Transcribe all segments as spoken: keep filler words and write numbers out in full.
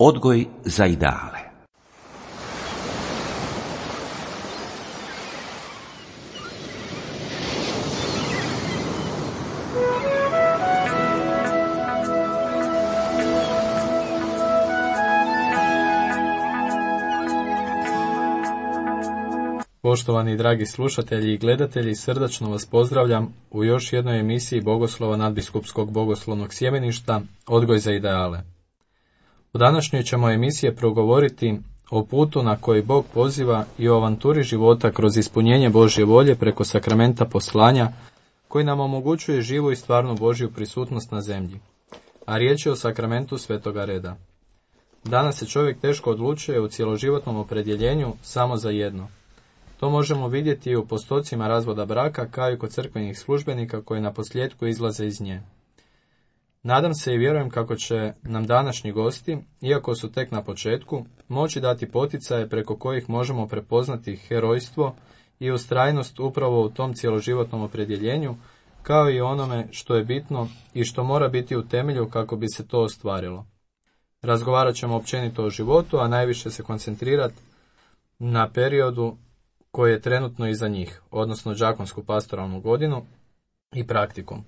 Odgoj za ideale. Poštovani dragi slušatelji i gledatelji, srdačno vas pozdravljam u još jednoj emisiji Bogoslova nadbiskupskog bogoslovnog sjemeništa Odgoj za ideale. U današnjoj ćemo emisiji progovoriti o putu na koji Bog poziva i o avanturi života kroz ispunjenje Božje volje preko sakramenta poslanja koji nam omogućuje živu i stvarnu Božju prisutnost na zemlji, a riječ je o sakramentu Svetoga Reda. Danas se čovjek teško odlučuje u cjeloživotnom opredjeljenju samo za jedno. To možemo vidjeti i u postocima razvoda braka, kao i kod crkvenih službenika koji na posljedku izlaze iz nje. Nadam se i vjerujem kako će nam današnji gosti, iako su tek na početku, moći dati poticaje preko kojih možemo prepoznati herojstvo i ustrajnost upravo u tom cjeloživotnom opredjeljenju, kao i onome što je bitno i što mora biti u temelju kako bi se to ostvarilo. Razgovarat ćemo općenito o životu, a najviše se koncentrirati na periodu koji je trenutno iza njih, odnosno đakonsku pastoralnu godinu i praktikum.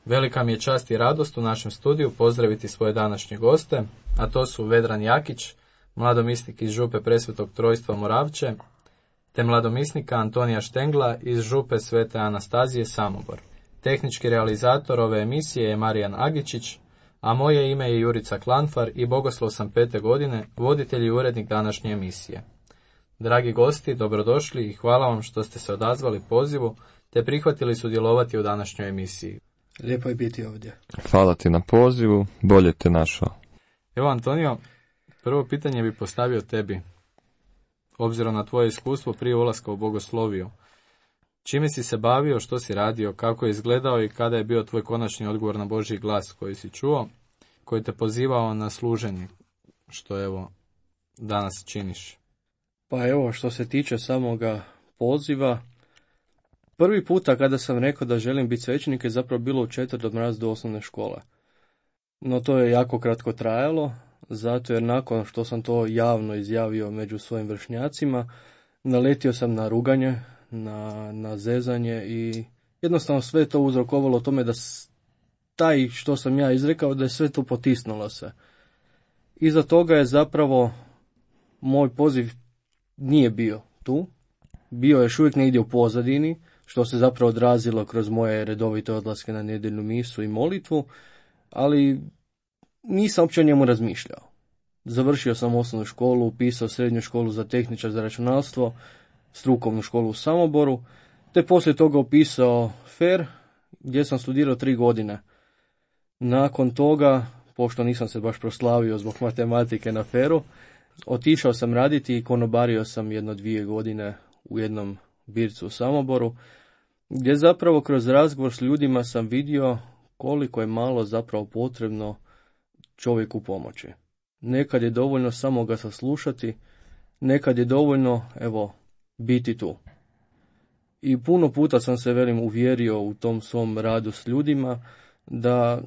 Velika mi je čast i radost u našem studiju pozdraviti svoje današnje goste, a to su Vedran Jakić, mladomisnik iz župe Presvetog Trojstva Moravče, te mladomisnika Antonija Štengla iz župe Svete Anastazije Samobor. Tehnički realizator ove emisije je Marijan Agičić, a moje ime je Jurica Klanfar i bogoslov sam pete godine, voditelj i urednik današnje emisije. Dragi gosti, dobrodošli i hvala vam što ste se odazvali pozivu te prihvatili sudjelovati u današnjoj emisiji. Lijepo je biti ovdje. Hvala ti na pozivu, bolje te našao. Evo Antonio, prvo pitanje bi postavio tebi, obzirom na tvoje iskustvo prije ulaska u bogosloviju. Čime si se bavio, što si radio, kako je izgledao i kada je bio tvoj konačni odgovor na Božji glas koji si čuo, koji te pozivao na služenje, što evo danas činiš? Pa evo, što se tiče samoga poziva, prvi puta kada sam rekao da želim biti svećenik je zapravo bilo u četvrtom razredu osnovne škole. No to je jako kratko trajalo, zato jer nakon što sam to javno izjavio među svojim vršnjacima, naletio sam na ruganje, na, na zezanje i jednostavno sve to uzrokovalo tome da taj što sam ja izrekao da je sve to potisnulo se. Iza toga je zapravo moj poziv nije bio tu, bio je još uvijek negdje u pozadini, što se zapravo odrazilo kroz moje redovite odlaske na nedjeljnu misu i molitvu, ali nisam uopće o njemu razmišljao. Završio sam osnovnu školu, upisao srednju školu za tehničar za računalstvo, strukovnu školu u Samoboru, te poslije toga upisao F E R, gdje sam studirao tri godine. Nakon toga, pošto nisam se baš proslavio zbog matematike na F E R-u, otišao sam raditi i konobario sam jedno dvije godine u jednom bircu u Samoboru, gdje zapravo kroz razgovor s ljudima sam vidio koliko je malo zapravo potrebno čovjeku pomoći. Nekad je dovoljno samo ga saslušati, nekad je dovoljno, evo, biti tu. I puno puta sam se, velim, uvjerio u tom svom radu s ljudima da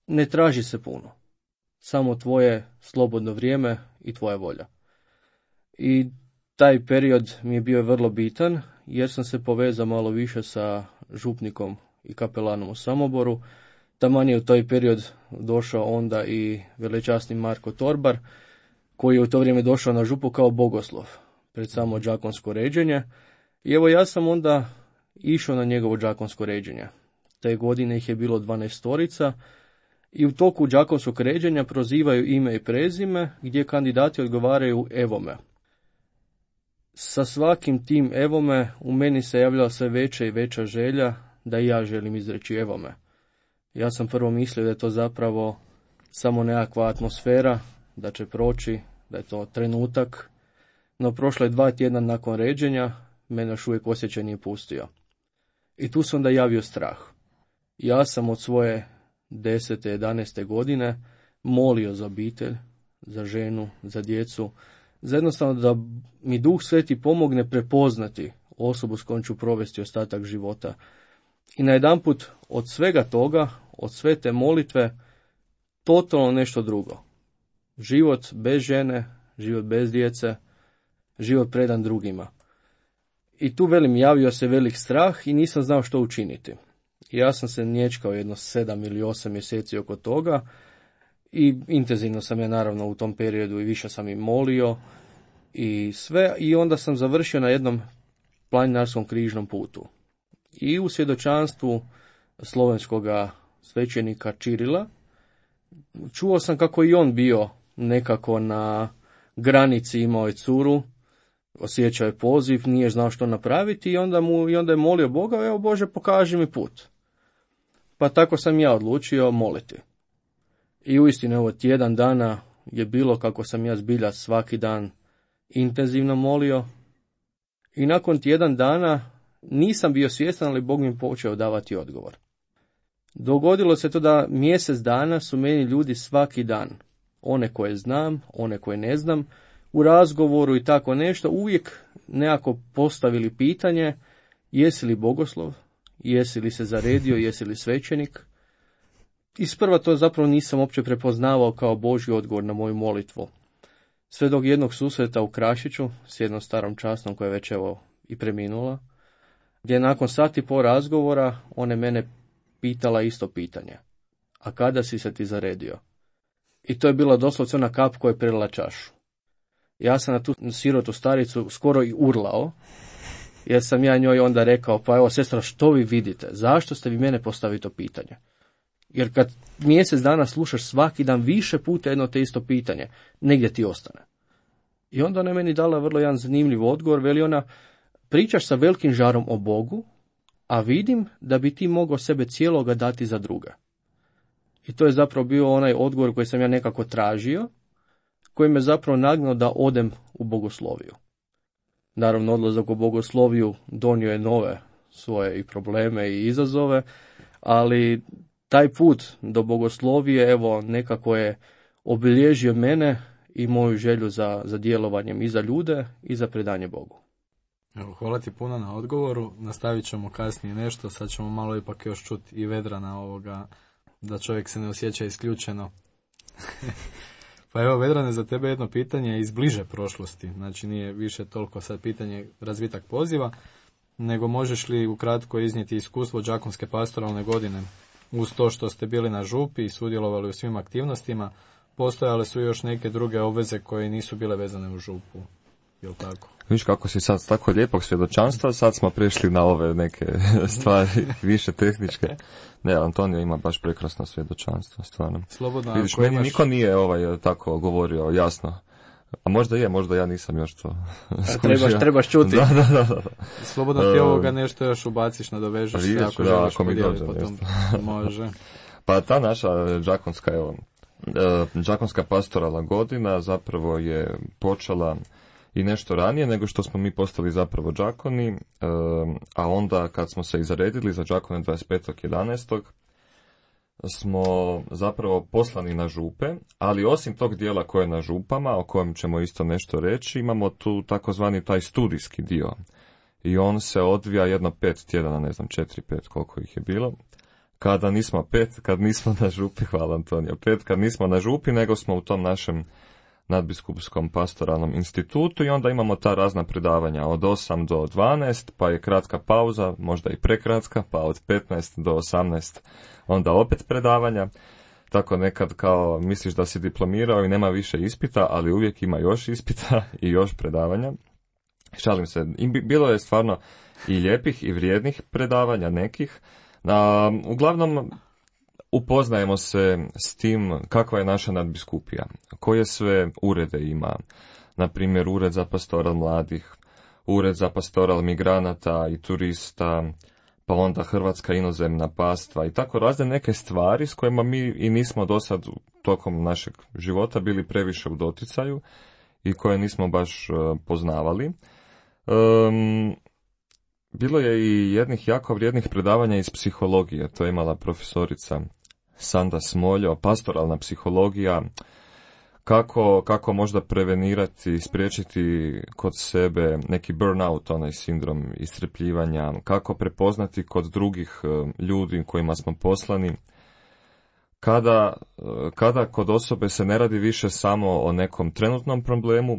ne traži se puno. Samo tvoje slobodno vrijeme i tvoja volja. I taj period mi je bio vrlo bitan, jer sam se povezao malo više sa župnikom i kapelanom u Samoboru. Taman je u taj period došao onda i velečasni Marko Torbar, koji je u to vrijeme došao na župu kao bogoslov pred samo đakonsko ređenje. I evo ja sam onda išao na njegovo đakonsko ređenje. Te godine ih je bilo dvanaestorica i u toku đakonskog ređenja prozivaju ime i prezime, gdje kandidati odgovaraju evome. Sa svakim tim evome u meni se javljala sve veća i veća želja da i ja želim izreći evome. Ja sam prvo mislio da je to zapravo samo nekakva atmosfera, da će proći, da je to trenutak, no prošlo je dva tjedna nakon ređenja, mene još uvijek osjećaj nije pustio. I tu se onda javio strah. Ja sam od svoje desete, jedanaeste godine molio za obitelj, za ženu, za djecu, za jednostavno da mi Duh Sveti pomogne prepoznati osobu s kojom ću provesti ostatak života. I najedanput od svega toga, od sve te molitve, totalno nešto drugo. Život bez žene, život bez djece, život predan drugima. I tu velim, javio se velik strah i nisam znao što učiniti. Ja sam se nječkao jedno sedam ili osam mjeseci oko toga i intenzivno sam ja naravno u tom periodu i više sam i molio i sve. I onda sam završio na jednom planinarskom križnom putu. I u svjedočanstvu slovenskoga svećenika Čirila čuo sam kako i on bio nekako na granici, imao je curu, osjećao je poziv, nije znao što napraviti i onda, mu, i onda je molio Boga, evo Bože, pokaži mi put. Pa tako sam ja odlučio moliti. I uistinu, evo, tjedan dana je bilo kako sam ja zbilja svaki dan intenzivno molio. I nakon tjedan dana nisam bio svjestan, ali Bog mi počeo davati odgovor. Dogodilo se to da mjesec dana su meni ljudi svaki dan, one koje znam, one koje ne znam, u razgovoru i tako nešto, uvijek nekako postavili pitanje, jesi li bogoslov, jesi li se zaredio, jesi li svećenik. Isprva to zapravo nisam uopće prepoznavao kao Božji odgovor na moju molitvu. Sve dok jednog susreta u Krašiću s jednom starom časnom koja je već evo i preminula, gdje nakon sati po razgovora one mene pitala isto pitanje. A kada si se ti zaredio? I to je bila doslovce ona kap koja je prelila čašu. Ja sam na tu sirotu staricu skoro i urlao, jer sam ja njoj onda rekao, pa evo sestra, što vi vidite? Zašto ste vi mene postavili to pitanje? Jer kad mjesec dana slušaš svaki dan više puta jedno te isto pitanje, negdje ti ostane. I onda ona je meni dala vrlo jedan zanimljiv odgovor, veli ona, pričaš sa velikim žarom o Bogu, a vidim da bi ti mogao sebe cijeloga dati za druga. I to je zapravo bio onaj odgovor koji sam ja nekako tražio, koji me zapravo nagnao da odem u bogosloviju. Naravno, odlazak u bogosloviju donio je nove svoje i probleme i izazove, ali taj put do bogoslovije, evo, nekako je obilježio mene i moju želju za, za djelovanjem i za ljude i za predanje Bogu. Evo, hvala ti puno na odgovoru, nastavit ćemo kasnije nešto, sad ćemo malo ipak još čuti i Vedrana ovoga, da čovjek se ne osjeća isključeno. Pa evo, Vedrane, za tebe jedno pitanje iz bliže prošlosti, znači nije više toliko sad pitanje razvitak poziva, nego možeš li ukratko iznijeti iskustvo đakonske pastoralne godine? Uz to što ste bili na župi i sudjelovali u svim aktivnostima, postojale su još neke druge obveze koje nisu bile vezane u župu, jel tako? Viš kako si sad tako lijepog svjedočanstva, sad smo prešli na ove neke stvari više tehničke. Ne, Antonio ima baš prekrasno svjedočanstvo, stvarno. Slobodno, vidiš, ako meni imaš... niko nije ovaj tako govorio jasno. A možda je, možda ja nisam još to skužio. Trebaš, trebaš čuti. Da, da, da, da. Slobodno ti ovoga nešto još ubaciš, nadovežeš se, ako da, želiš ako mi podijeliti dođe potom. Može. Pa ta naša đakonska, evo, đakonska pastoralna godina zapravo je počela i nešto ranije nego što smo mi postali zapravo đakoni, a onda kad smo se i zaredili za đakone dvadeset petog jedanaestog smo zapravo poslani na župe, ali osim tog dijela koje je na župama, o kojem ćemo isto nešto reći, imamo tu takozvani taj studijski dio. I on se odvija jedno pet tjedana, ne znam, četiri, pet, koliko ih je bilo. Kada nismo pet, kad nismo na župi, hvala Antonio, pet, kad nismo na župi, nego smo u tom našem nadbiskupskom pastoralnom institutu i onda imamo ta razna predavanja od osam do dvanaest, pa je kratka pauza, možda i prekratka, pa od petnaest do osamnaest onda opet predavanja. Tako nekad kao misliš da si diplomirao i nema više ispita, ali uvijek ima još ispita i još predavanja. Šalim se, i bilo je stvarno i lijepih i vrijednih predavanja nekih. A, uglavnom upoznajemo se s tim kakva je naša nadbiskupija, koje sve urede ima, na primjer ured za pastoral mladih, ured za pastoral migranata i turista, pa onda Hrvatska inozemna pastva i tako razne neke stvari s kojima mi i nismo do sad tokom našeg života bili previše u doticaju i koje nismo baš uh, poznavali. Um, bilo je i jednih jako vrijednih predavanja iz psihologije, to je imala profesorica Sanda Smoljo, pastoralna psihologija, kako, kako možda prevenirati, spriječiti kod sebe neki burnout, onaj sindrom iscrpljivanja, kako prepoznati kod drugih ljudi kojima smo poslani, kada, kada kod osobe se ne radi više samo o nekom trenutnom problemu,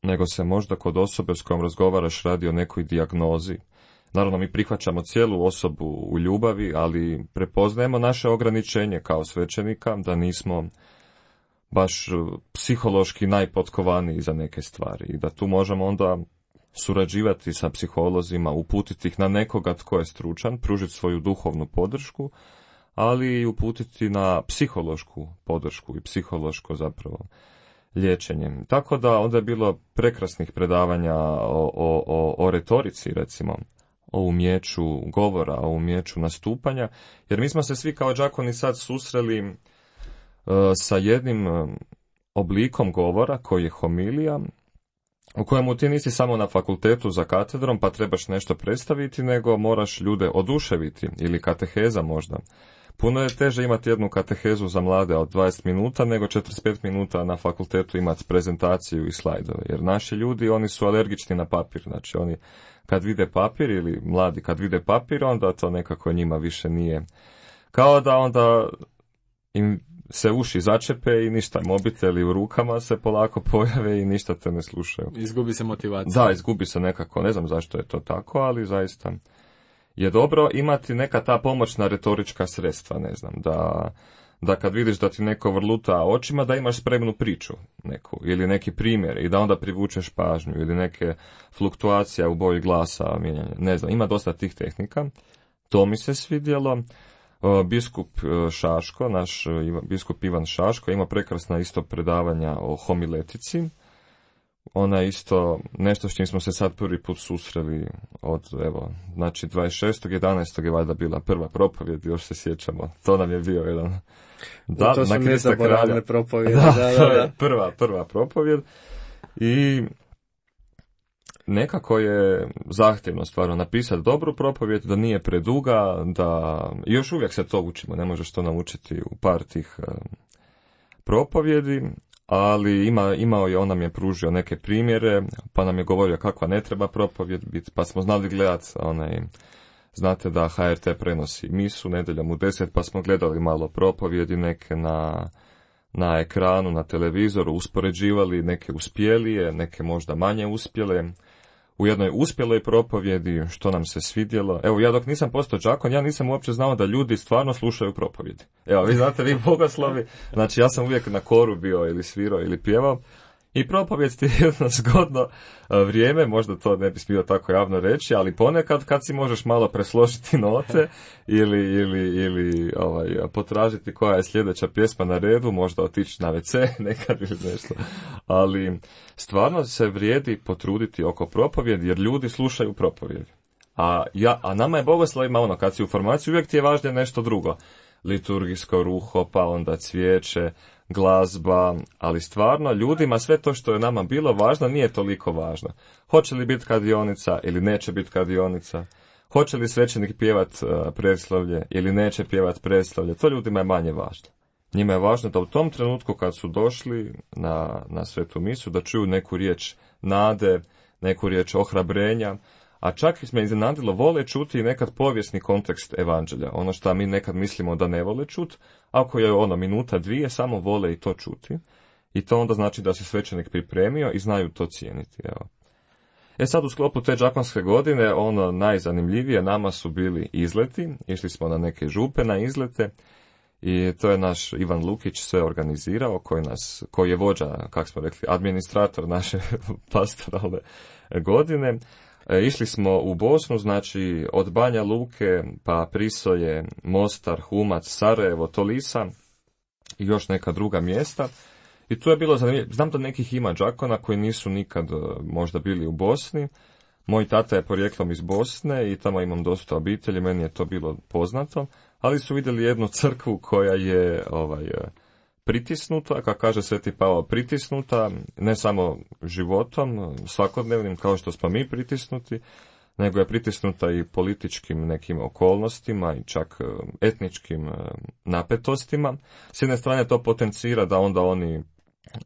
nego se možda kod osobe s kojom razgovaraš radi o nekoj dijagnozi. Naravno, mi prihvaćamo cijelu osobu u ljubavi, ali prepoznajemo naše ograničenje kao svećenika, da nismo baš psihološki najpotkovaniji za neke stvari i da tu možemo onda surađivati sa psiholozima, uputiti ih na nekoga tko je stručan, pružiti svoju duhovnu podršku, ali i uputiti na psihološku podršku i psihološko zapravo liječenje. Tako da onda je bilo prekrasnih predavanja o, o, o, o retorici, recimo, o umjeću govora, o umjeću nastupanja, jer mi smo se svi kao đakoni sad susreli uh, sa jednim uh, oblikom govora koji je homilija, u kojemu ti nisi samo na fakultetu za katedrom pa trebaš nešto predstaviti, nego moraš ljude oduševiti, ili kateheza možda. Puno je teže imati jednu katehezu za mlade od dvadeset minuta nego četrdeset pet minuta na fakultetu imati prezentaciju i slajdove, jer naši ljudi, oni su alergični na papir, znači oni kad vide papir, ili mladi kad vide papir, onda to nekako njima više nije. Kao da onda im se uši začepe i ništa, mobiteli u rukama se polako pojave i ništa te ne slušaju. Izgubi se motivacija. Da, izgubi se nekako, ne znam zašto je to tako, ali zaista je dobro imati neka ta pomoćna retorička sredstva, ne znam, da, da kad vidiš da ti neko vrluta očima, da imaš spremnu priču neku, ili neki primjer i da onda privučeš pažnju, ili neke fluktuacija u boji glasa, mijenjanje, ne znam, ima dosta tih tehnika, to mi se svidjelo. Biskup Šaško, naš biskup Ivan Šaško, ima prekrasna isto predavanja o homiletici. Ona isto nešto s čim smo se sad prvi put susreli od, evo, znači dvadeset šestog jedanaestog je valjda bila prva propovjed, još se sjećamo. To nam je bio jedan... Da, to su nezaboravne propovjedi. Da, da, to da, da. je prva, prva propovjed. I nekako je zahtjevno stvarno napisati dobru propovjed, da nije preduga, da još uvijek se to učimo, ne možeš to naučiti u par tih uh, propovjedi, ali ima, imao je, on nam je pružio neke primjere, pa nam je govorio kakva ne treba propovjed biti, pa smo znali gledati onaj, znate da H R T prenosi misu nedjeljom u deset, pa smo gledali malo propovjedi neke na na ekranu, na televizoru, uspoređivali neke uspjelije, neke možda manje uspjele. U jednoj uspjeloj propovjedi, što nam se svidjelo. Evo, ja dok nisam postao đakon, ja nisam uopće znao da ljudi stvarno slušaju propovjedi. Evo, vi znate, vi bogoslovi, znači ja sam uvijek na koru bio ili svirao ili pjevao. I propovjed ti je jedno zgodno vrijeme, možda to ne bi smio tako javno reći, ali ponekad kad si možeš malo presložiti note ili, ili, ili ovaj, potražiti koja je sljedeća pjesma na redu, možda otići na ve ce nekad ili nešto. Ali stvarno se vrijedi potruditi oko propovjedi jer ljudi slušaju propovjedi. A, ja, a nama je bogoslovima ono, kad si u formaciji uvijek ti je važnije nešto drugo. Liturgijsko ruho, pa onda cvijeće, glazba, ali stvarno ljudima sve to što je nama bilo važno nije toliko važno. Hoće li biti kadionica ili neće biti kadionica? Hoće li svećenik pjevat uh, preslavlje ili neće pjevat preslavlje? To ljudima je manje važno. Njima je važno da u tom trenutku kad su došli na, na svetu misu da čuju neku riječ nade, neku riječ ohrabrenja, a čak me iznenadilo, vole čuti i nekad povijesni kontekst evanđelja. Ono što mi nekad mislimo da ne vole čuti, ako je ono minuta, dvije, samo vole i to čuti. I to onda znači da se svećenik pripremio i znaju to cijeniti. Evo. E sad u sklopu te đakonske godine, ono najzanimljivije nama su bili izleti. Išli smo na neke župe na izlete i to je naš Ivan Lukić sve organizirao, koji, nas, koji je vođa, kako smo rekli, administrator naše pastoralne godine. E, išli smo u Bosnu, znači od Banja Luke, pa Prisoje, Mostar, Humac, Sarajevo, Tolisa i još neka druga mjesta. I tu je bilo zanimljivo. Znam da nekih ima đakona koji nisu nikad možda bili u Bosni. Moj tata je porijeklom iz Bosne i tamo imam dosta obitelji, meni je to bilo poznato. Ali su vidjeli jednu crkvu koja je ovaj, pritisnuta, kako kaže Sveti Pavao, pritisnuta, ne samo životom, svakodnevnim, kao što smo mi pritisnuti, nego je pritisnuta i političkim nekim okolnostima i čak etničkim napetostima. S jedne strane to potencira da onda oni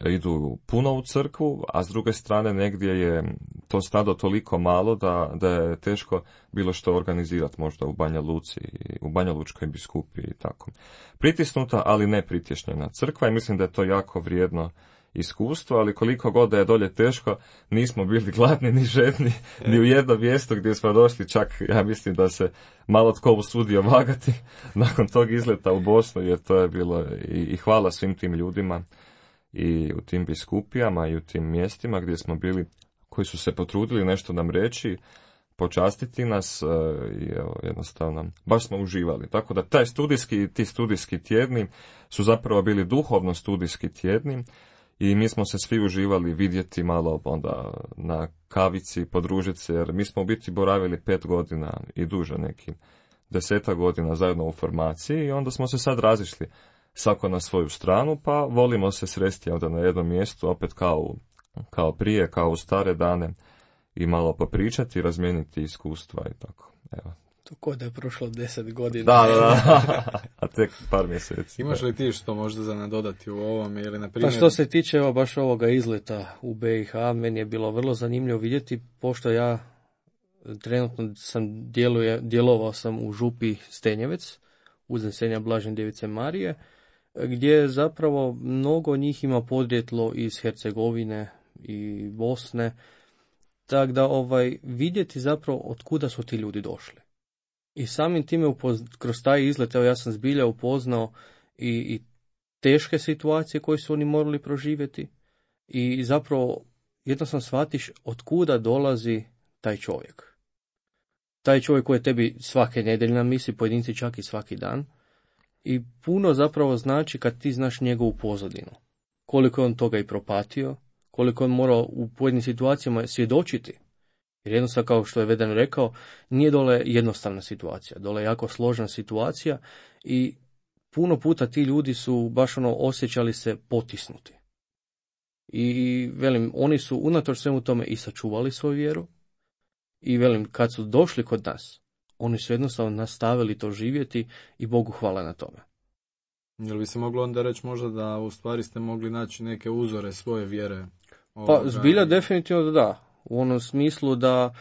idu puno u crkvu, a s druge strane negdje je to stado toliko malo da, da je teško bilo što organizirati, možda u Banja Luci, u Banja Lučkoj biskupiji i tako. Pritisnuta, ali ne pritješnjena crkva i mislim da je to jako vrijedno iskustvo, ali koliko god da je dolje teško, nismo bili gladni ni žedni, ni u jedno mjesto gdje smo došli, čak ja mislim da se malo tko usudio vagati nakon tog izleta u Bosnu, jer to je bilo i, i hvala svim tim ljudima i u tim biskupijama i u tim mjestima gdje smo bili, koji su se potrudili nešto nam reći, počastiti nas i evo, jednostavno, baš smo uživali. Tako da taj studijski, ti studijski tjedni su zapravo bili duhovno studijski tjedni i mi smo se svi uživali vidjeti malo onda na kavici, podružiti se, jer mi smo u biti boravili pet godina i duže, neki deseta godina zajedno u formaciji i onda smo se sad razišli svako na svoju stranu, pa volimo se sresti onda na jednom mjestu, opet kao, kao prije, kao u stare dane i malo popričati, razmijeniti iskustva i tako. Evo. To ko da je prošlo deset godina. Da, da, da. A tek par mjeseci. Imaš da. li ti što možda za nadodati u ovome ili na primjer... Pa što se tiče evo, baš ovoga izleta u B i H, meni je bilo vrlo zanimljivo vidjeti, pošto ja trenutno sam djeluje, djelovao sam u župi Stenjevec, uznesenja Blažene Djevice Marije, gdje zapravo mnogo njih ima podrijetlo iz Hercegovine i Bosne, tako da ovaj, vidjeti zapravo od kuda su ti ljudi došli. I samim time upoz... kroz taj izlet, evo ja sam zbilja upoznao i, i teške situacije koje su oni morali proživjeti i zapravo jednostavno shvatiš od kuda dolazi taj čovjek. Taj čovjek koji je tebi svake nedjelje na misi, pojedinci čak i svaki dan. I puno zapravo znači kad ti znaš njegovu pozadinu. Koliko je on toga i propatio, koliko je on morao u pojedinim situacijama svjedočiti. Jer jednostavno, kao što je Vedan rekao, nije dole jednostavna situacija. Dole je jako složena situacija i puno puta ti ljudi su baš ono osjećali se potisnuti. I velim, oni su unatoč svemu tome i sačuvali svoju vjeru. I velim, kad su došli kod nas, oni su jednostavno nastavili to živjeti i Bogu hvala na tome. Jel bi se moglo onda reći možda da u stvari ste mogli naći neke uzore svoje vjere? Pa zbilja definitivno da da. U onom smislu da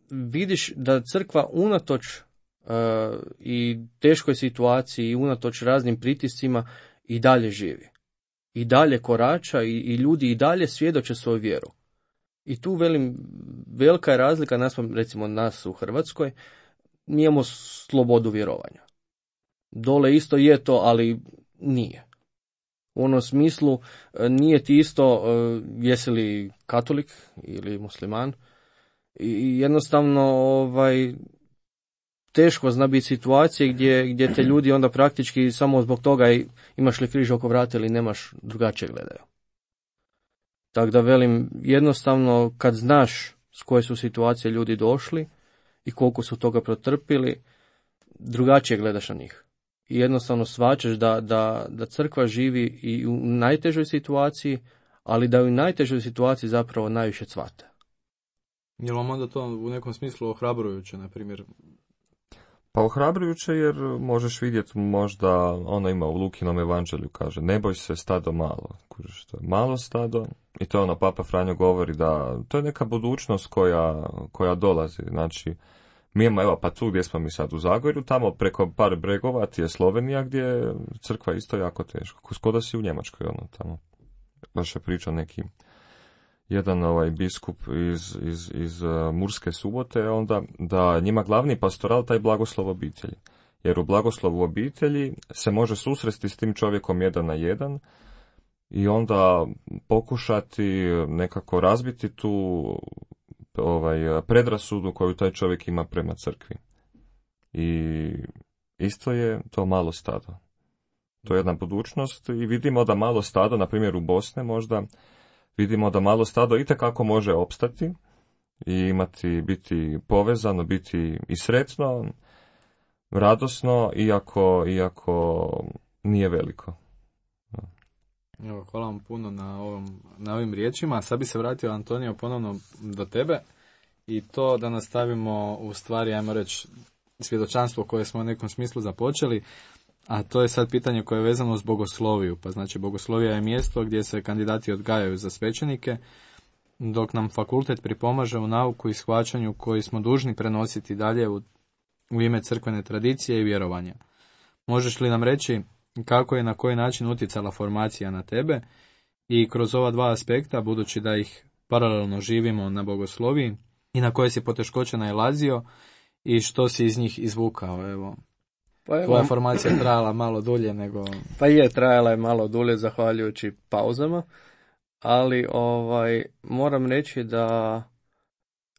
vidiš da crkva unatoč uh, i teškoj situaciji i unatoč raznim pritiscima i dalje živi. I dalje korača i, i ljudi i dalje svjedoče svoju vjeru. I tu velim, velika je razlika naspram recimo nas u Hrvatskoj, mi imamo slobodu vjerovanja. Dole isto je to, ali nije. U onom smislu nije ti isto jesi li katolik ili musliman i jednostavno ovaj, teško zna biti situacije gdje, gdje te ljudi onda praktički samo zbog toga imaš li križ oko vrata ili nemaš, drugačije gledaju. Tako da velim, jednostavno kad znaš s koje su situacije ljudi došli i koliko su toga protrpili, drugačije gledaš na njih. I jednostavno shvaćaš da, da, da crkva živi i u najtežoj situaciji, ali da u najtežoj situaciji zapravo najviše cvate. Je li vam onda to u nekom smislu ohrabrujuće, na primjer? Pa ohrabrujuće jer možeš vidjeti možda, ono ima u Lukinom evanđelju, kaže, ne boj se stado malo. Kužiš, to je malo stado i to ono Papa Franjo govori da to je neka budućnost koja, koja dolazi. Znači, mi imamo, evo, pa tu gdje smo mi sad u Zagorju, tamo preko par bregova ti je Slovenija gdje je crkva isto jako teško. Skoda si u Njemačkoj, ono, tamo. Baš je pričao neki jedan ovaj biskup iz, iz, iz uh, Murske Subote, onda da njima glavni pastoral taj blagoslov obitelji. Jer u blagoslovu obitelji se može susresti s tim čovjekom jedan na jedan i onda pokušati nekako razbiti tu ovaj, predrasudu koju taj čovjek ima prema crkvi. I isto je to malo stado. To je jedna budućnost i vidimo da malo stado, na primjer u Bosne možda, vidimo da malo stado itekako može opstati i imati, biti povezano, biti i sretno, radosno, iako, iako nije veliko. Evo, hvala vam puno na, ovom, na ovim riječima. Sad bi se vratio, Antonio, ponovno do tebe i to da nastavimo u stvari, ajmo reći, svjedočanstvo koje smo u nekom smislu započeli. A to je sad pitanje koje je vezano uz bogosloviju. Pa znači bogoslovija je mjesto gdje se kandidati odgajaju za svećenike, dok nam fakultet pripomaže u nauku i shvaćanju koji smo dužni prenositi dalje u, u ime crkvene tradicije i vjerovanja. Možeš li nam reći kako je na koji način utjecala formacija na tebe i kroz ova dva aspekta, budući da ih paralelno živimo na bogosloviji, i na koje si poteškoće nailazio i što si iz njih izvukao? Evo, pa evo, tvoja formacija je trajala malo dulje nego... Pa je, trajala je malo dulje zahvaljujući pauzama, ali ovaj moram reći da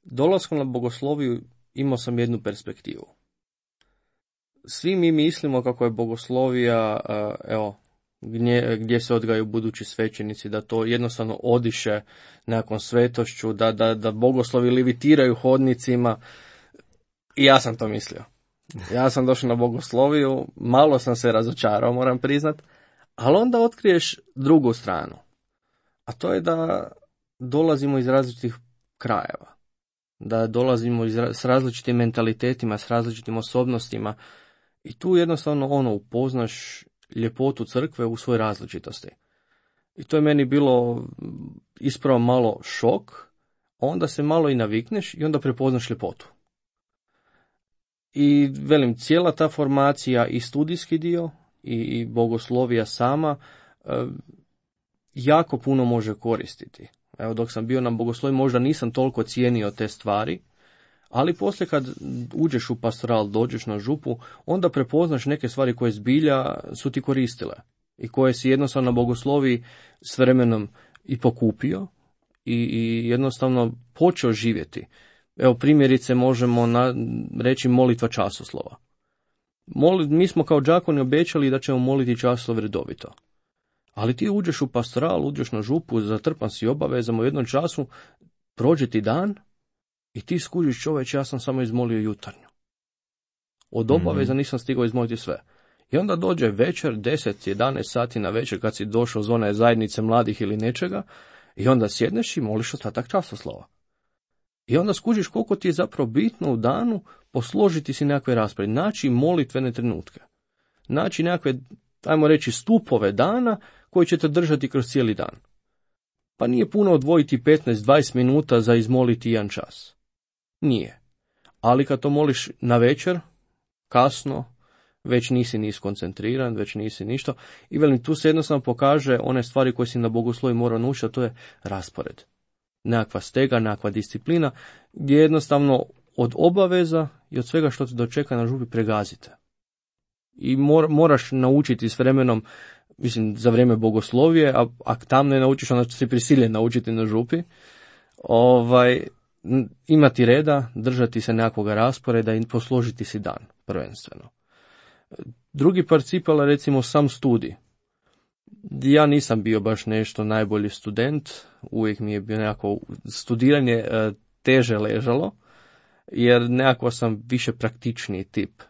dolaskom na bogosloviju imao sam jednu perspektivu. Svi mi mislimo kako je bogoslovija, evo, gdje, gdje se odgajaju budući svećenici, da to jednostavno odiše nakon svetošću, da, da, da bogoslovi levitiraju hodnicima. I ja sam to mislio. Ja sam došao na bogosloviju, malo sam se razočarao, moram priznat, ali onda otkriješ drugu stranu. A to je da dolazimo iz različitih krajeva, da dolazimo iz, s različitim mentalitetima, s različitim osobnostima i tu jednostavno ono upoznaš ljepotu crkve u svojoj različitosti. I to je meni bilo ispravo malo šok, onda se malo i navikneš i onda prepoznaš ljepotu. I velim, cijela ta formacija i studijski dio i, i bogoslovija sama e, jako puno može koristiti. Evo, dok sam bio na bogosloviji možda nisam toliko cijenio te stvari, ali poslije kad uđeš u pastoral, dođeš na župu, onda prepoznaš neke stvari koje zbilja su ti koristile i koje si jednostavno na bogosloviji s vremenom i pokupio i, i jednostavno počeo živjeti. Evo, primjerice možemo na, reći molitva časoslova. Moli, mi smo kao đakoni obećali da ćemo moliti časoslov redovito. Ali ti uđeš u pastoral, uđeš na župu, zatrpan si obavezama, u jednom času prođe ti dan i ti skužiš, čoveč, ja sam samo izmolio jutarnju. Od obaveza nisam stigao izmoliti sve. I onda dođe večer, deset jedanaest sati na večer, kad si došao iz one zajednice mladih ili nečega, i onda sjedneš i moliš ostatak časoslova. I onda skužiš koliko ti je zapravo bitno u danu posložiti si nekakve rasprave, naći molitvene trenutke, naći nekakve, ajmo reći, stupove dana koji će te držati kroz cijeli dan. Pa nije puno odvojiti petnaest dvadeset minuta za izmoliti jedan čas. Nije. Ali kad to moliš na večer, kasno, već nisi ni skoncentriran, već nisi ništa. I velim, tu se jednostavno pokaže one stvari koje si na bogoslovi mora naučiti, a to je raspored. Nekakva stega, nekakva disciplina, gdje jednostavno od obaveza i od svega što te dočeka na župi pregazite. I mor, moraš naučiti s vremenom, mislim, za vrijeme bogoslovije, a ako tam ne naučiš, onda si prisiljen naučiti na župi, ovaj, imati reda, držati se nekakvog rasporeda i posložiti si dan, prvenstveno. Drugi parcipal, recimo, sam studij. Ja nisam bio baš nešto najbolji student, uvijek mi je bio nekako studiranje teže ležalo, jer nekako sam više praktičniji tip.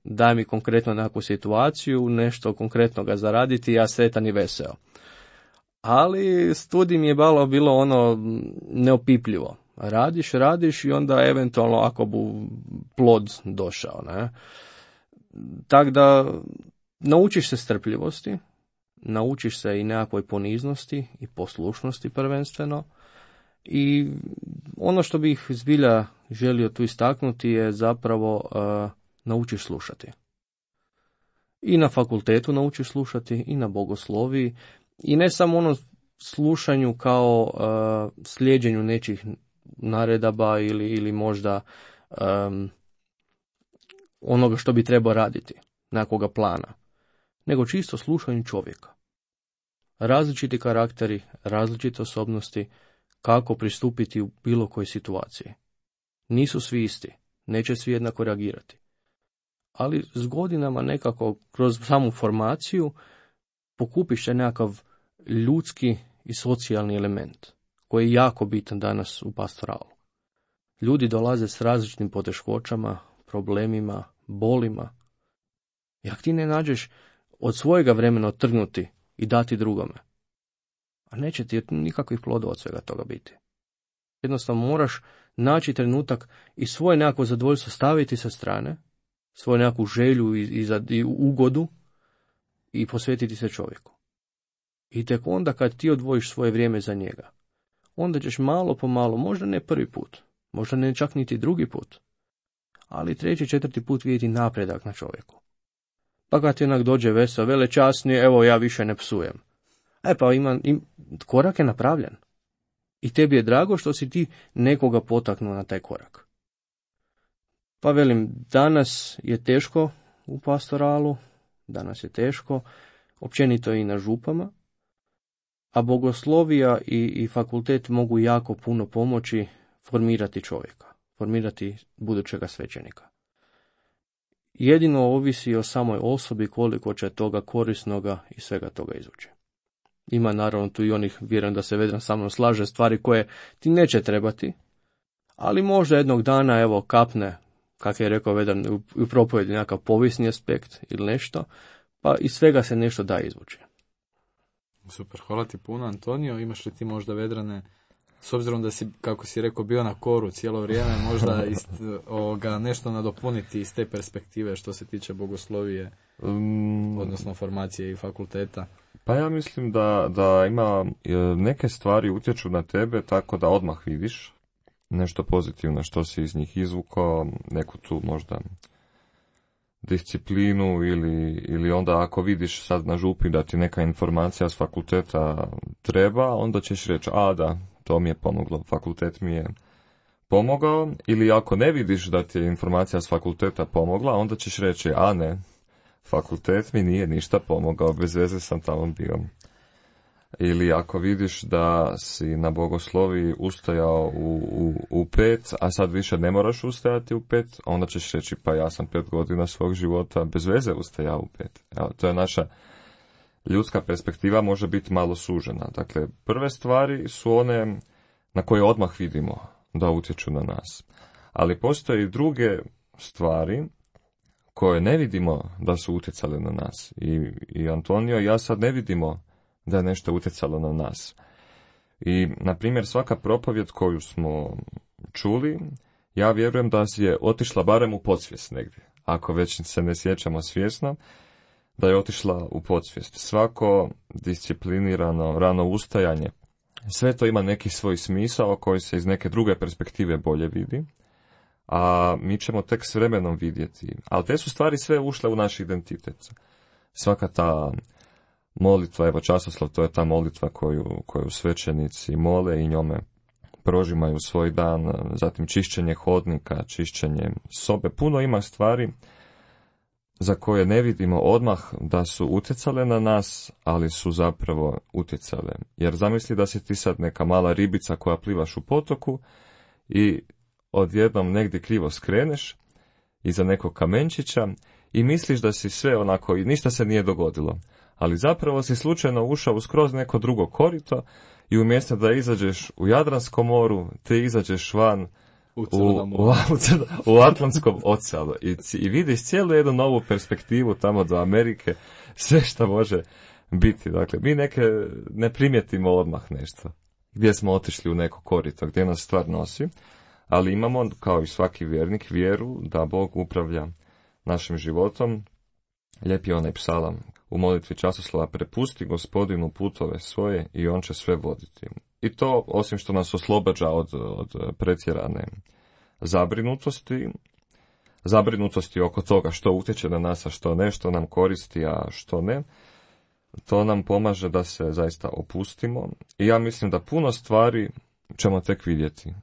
Daj mi konkretno nekakvu situaciju, nešto konkretno ga zaraditi, ja sretan i veseo. Ali studij mi je malo bilo ono neopipljivo. Radiš, radiš i onda eventualno ako bu plod došao. Ne? Tako da naučiš se strpljivosti, naučiš se i nekakvoj poniznosti i poslušnosti prvenstveno. I ono što bih zbilja želio tu istaknuti je zapravo uh, naučiš slušati. I na fakultetu naučiš slušati, i na bogosloviji, i ne samo ono slušanju kao uh, slijeđenju nečih naredaba ili, ili možda um, onoga što bi trebao raditi, nekakvoga plana, nego čisto slušanju čovjeka. Različiti karakteri, različite osobnosti, kako pristupiti u bilo kojoj situaciji. Nisu svi isti, neće svi jednako reagirati. Ali s godinama nekako kroz samu formaciju pokupiš se nekakav ljudski i socijalni element koji je jako bitan danas u pastoralu. Ljudi dolaze s različitim poteškoćama, problemima, bolima. I ako ti ne nađeš od svojega vremena otrgnuti i dati drugome, a neće ti nikakvih plodova od svega toga biti. Jednostavno moraš naći trenutak i svoje nekako zadovoljstvo staviti sa strane, svoju nekakvu želju i, i, za, i ugodu, i posvetiti se čovjeku. I tek onda kad ti odvojiš svoje vrijeme za njega, onda ćeš malo po malo, možda ne prvi put, možda ne čak niti drugi put, ali treći, četvrti put vidjeti napredak na čovjeku. Pa kad ti onak dođe veseo, vele časni, evo ja više ne psujem. E pa ima, im, korak je napravljen. I tebi je drago što si ti nekoga potaknuo na taj korak. Pa velim, danas je teško u pastoralu, danas je teško, općenito i na župama, a bogoslovija i, i fakultet mogu jako puno pomoći formirati čovjeka, formirati budućega svećenika. Jedino ovisi o samoj osobi koliko će toga korisnoga i svega toga izvući. Ima naravno tu i onih, vjerujem da se Vedran sa mnom slaže, stvari koje ti neće trebati, ali možda jednog dana, evo, kapne, kako je rekao Vedran, u, u propovjedi nekakav povijesni aspekt ili nešto, pa iz svega se nešto da izvući. Super, hvala ti puno, Antonio. Imaš li ti možda, Vedrane, s obzirom da si, kako si rekao, bio na koru cijelo vrijeme, možda ist, ovoga, nešto nadopuniti iz te perspektive što se tiče bogoslovije, um, odnosno formacije i fakulteta? Pa ja mislim da, da ima neke stvari utječu na tebe tako da odmah vidiš nešto pozitivno što si iz njih izvukao, neku tu možda disciplinu ili, ili onda ako vidiš sad na župi da ti neka informacija s fakulteta treba, onda ćeš reći, a da, to mi je pomoglo, fakultet mi je pomogao, ili ako ne vidiš da ti je informacija s fakulteta pomogla, onda ćeš reći, a ne, fakultet mi nije ništa pomogao, bez veze sam tamo bio. Ili ako vidiš da si na bogoslovi ustajao u, u, u pet, a sad više ne moraš ustajati u pet, onda ćeš reći, pa ja sam pet godina svog života bez veze ustajao u pet. Evo, to je naša ljudska perspektiva, može biti malo sužena. Dakle, prve stvari su one na koje odmah vidimo da utječu na nas. Ali postoje i druge stvari koje ne vidimo da su utjecale na nas. I, i Antonio i ja sad ne vidimo da je nešto utjecalo na nas. I, na primjer, svaka propovjed koju smo čuli, ja vjerujem da je otišla barem u podsvijest negdje. Ako već se ne sjećamo svjesno, da je otišla u podsvijest. Svako disciplinirano rano ustajanje, sve to ima neki svoj smisao koji se iz neke druge perspektive bolje vidi, a mi ćemo tek s vremenom vidjeti. Ali te su stvari sve ušle u naš identitet. Svaka ta molitva, evo časoslov, to je ta molitva koju, koju svećenici mole i njome prožimaju svoj dan, zatim čišćenje hodnika, čišćenje sobe. Puno ima stvari za koje ne vidimo odmah da su utjecale na nas, ali su zapravo utjecale. Jer zamisli da si ti sad neka mala ribica koja plivaš u potoku i odjednom negdje krivo skreneš iza nekog kamenčića i misliš da si sve onako i ništa se nije dogodilo. Ali zapravo si slučajno ušao u skroz neko drugo korito i umjesto da izađeš u Jadranskom moru, te izađeš van u, u, u, u Atlantskom oceanu i, i vidiš cijelu jednu novu perspektivu tamo do Amerike, sve što može biti. Dakle, mi neke ne primjetimo odmah nešto, gdje smo otišli u neko korito, gdje nas stvar nosi, ali imamo, kao i svaki vjernik, vjeru da Bog upravlja našim životom. Lijep je onaj psalam u molitvi časoslova, prepusti Gospodinu putove svoje i on će sve voditi. I to, osim što nas oslobađa od, od pretjerane zabrinutosti, zabrinutosti oko toga što utječe na nas, a što ne, što nam koristi, a što ne, to nam pomaže da se zaista opustimo. I ja mislim da puno stvari ćemo tek vidjeti,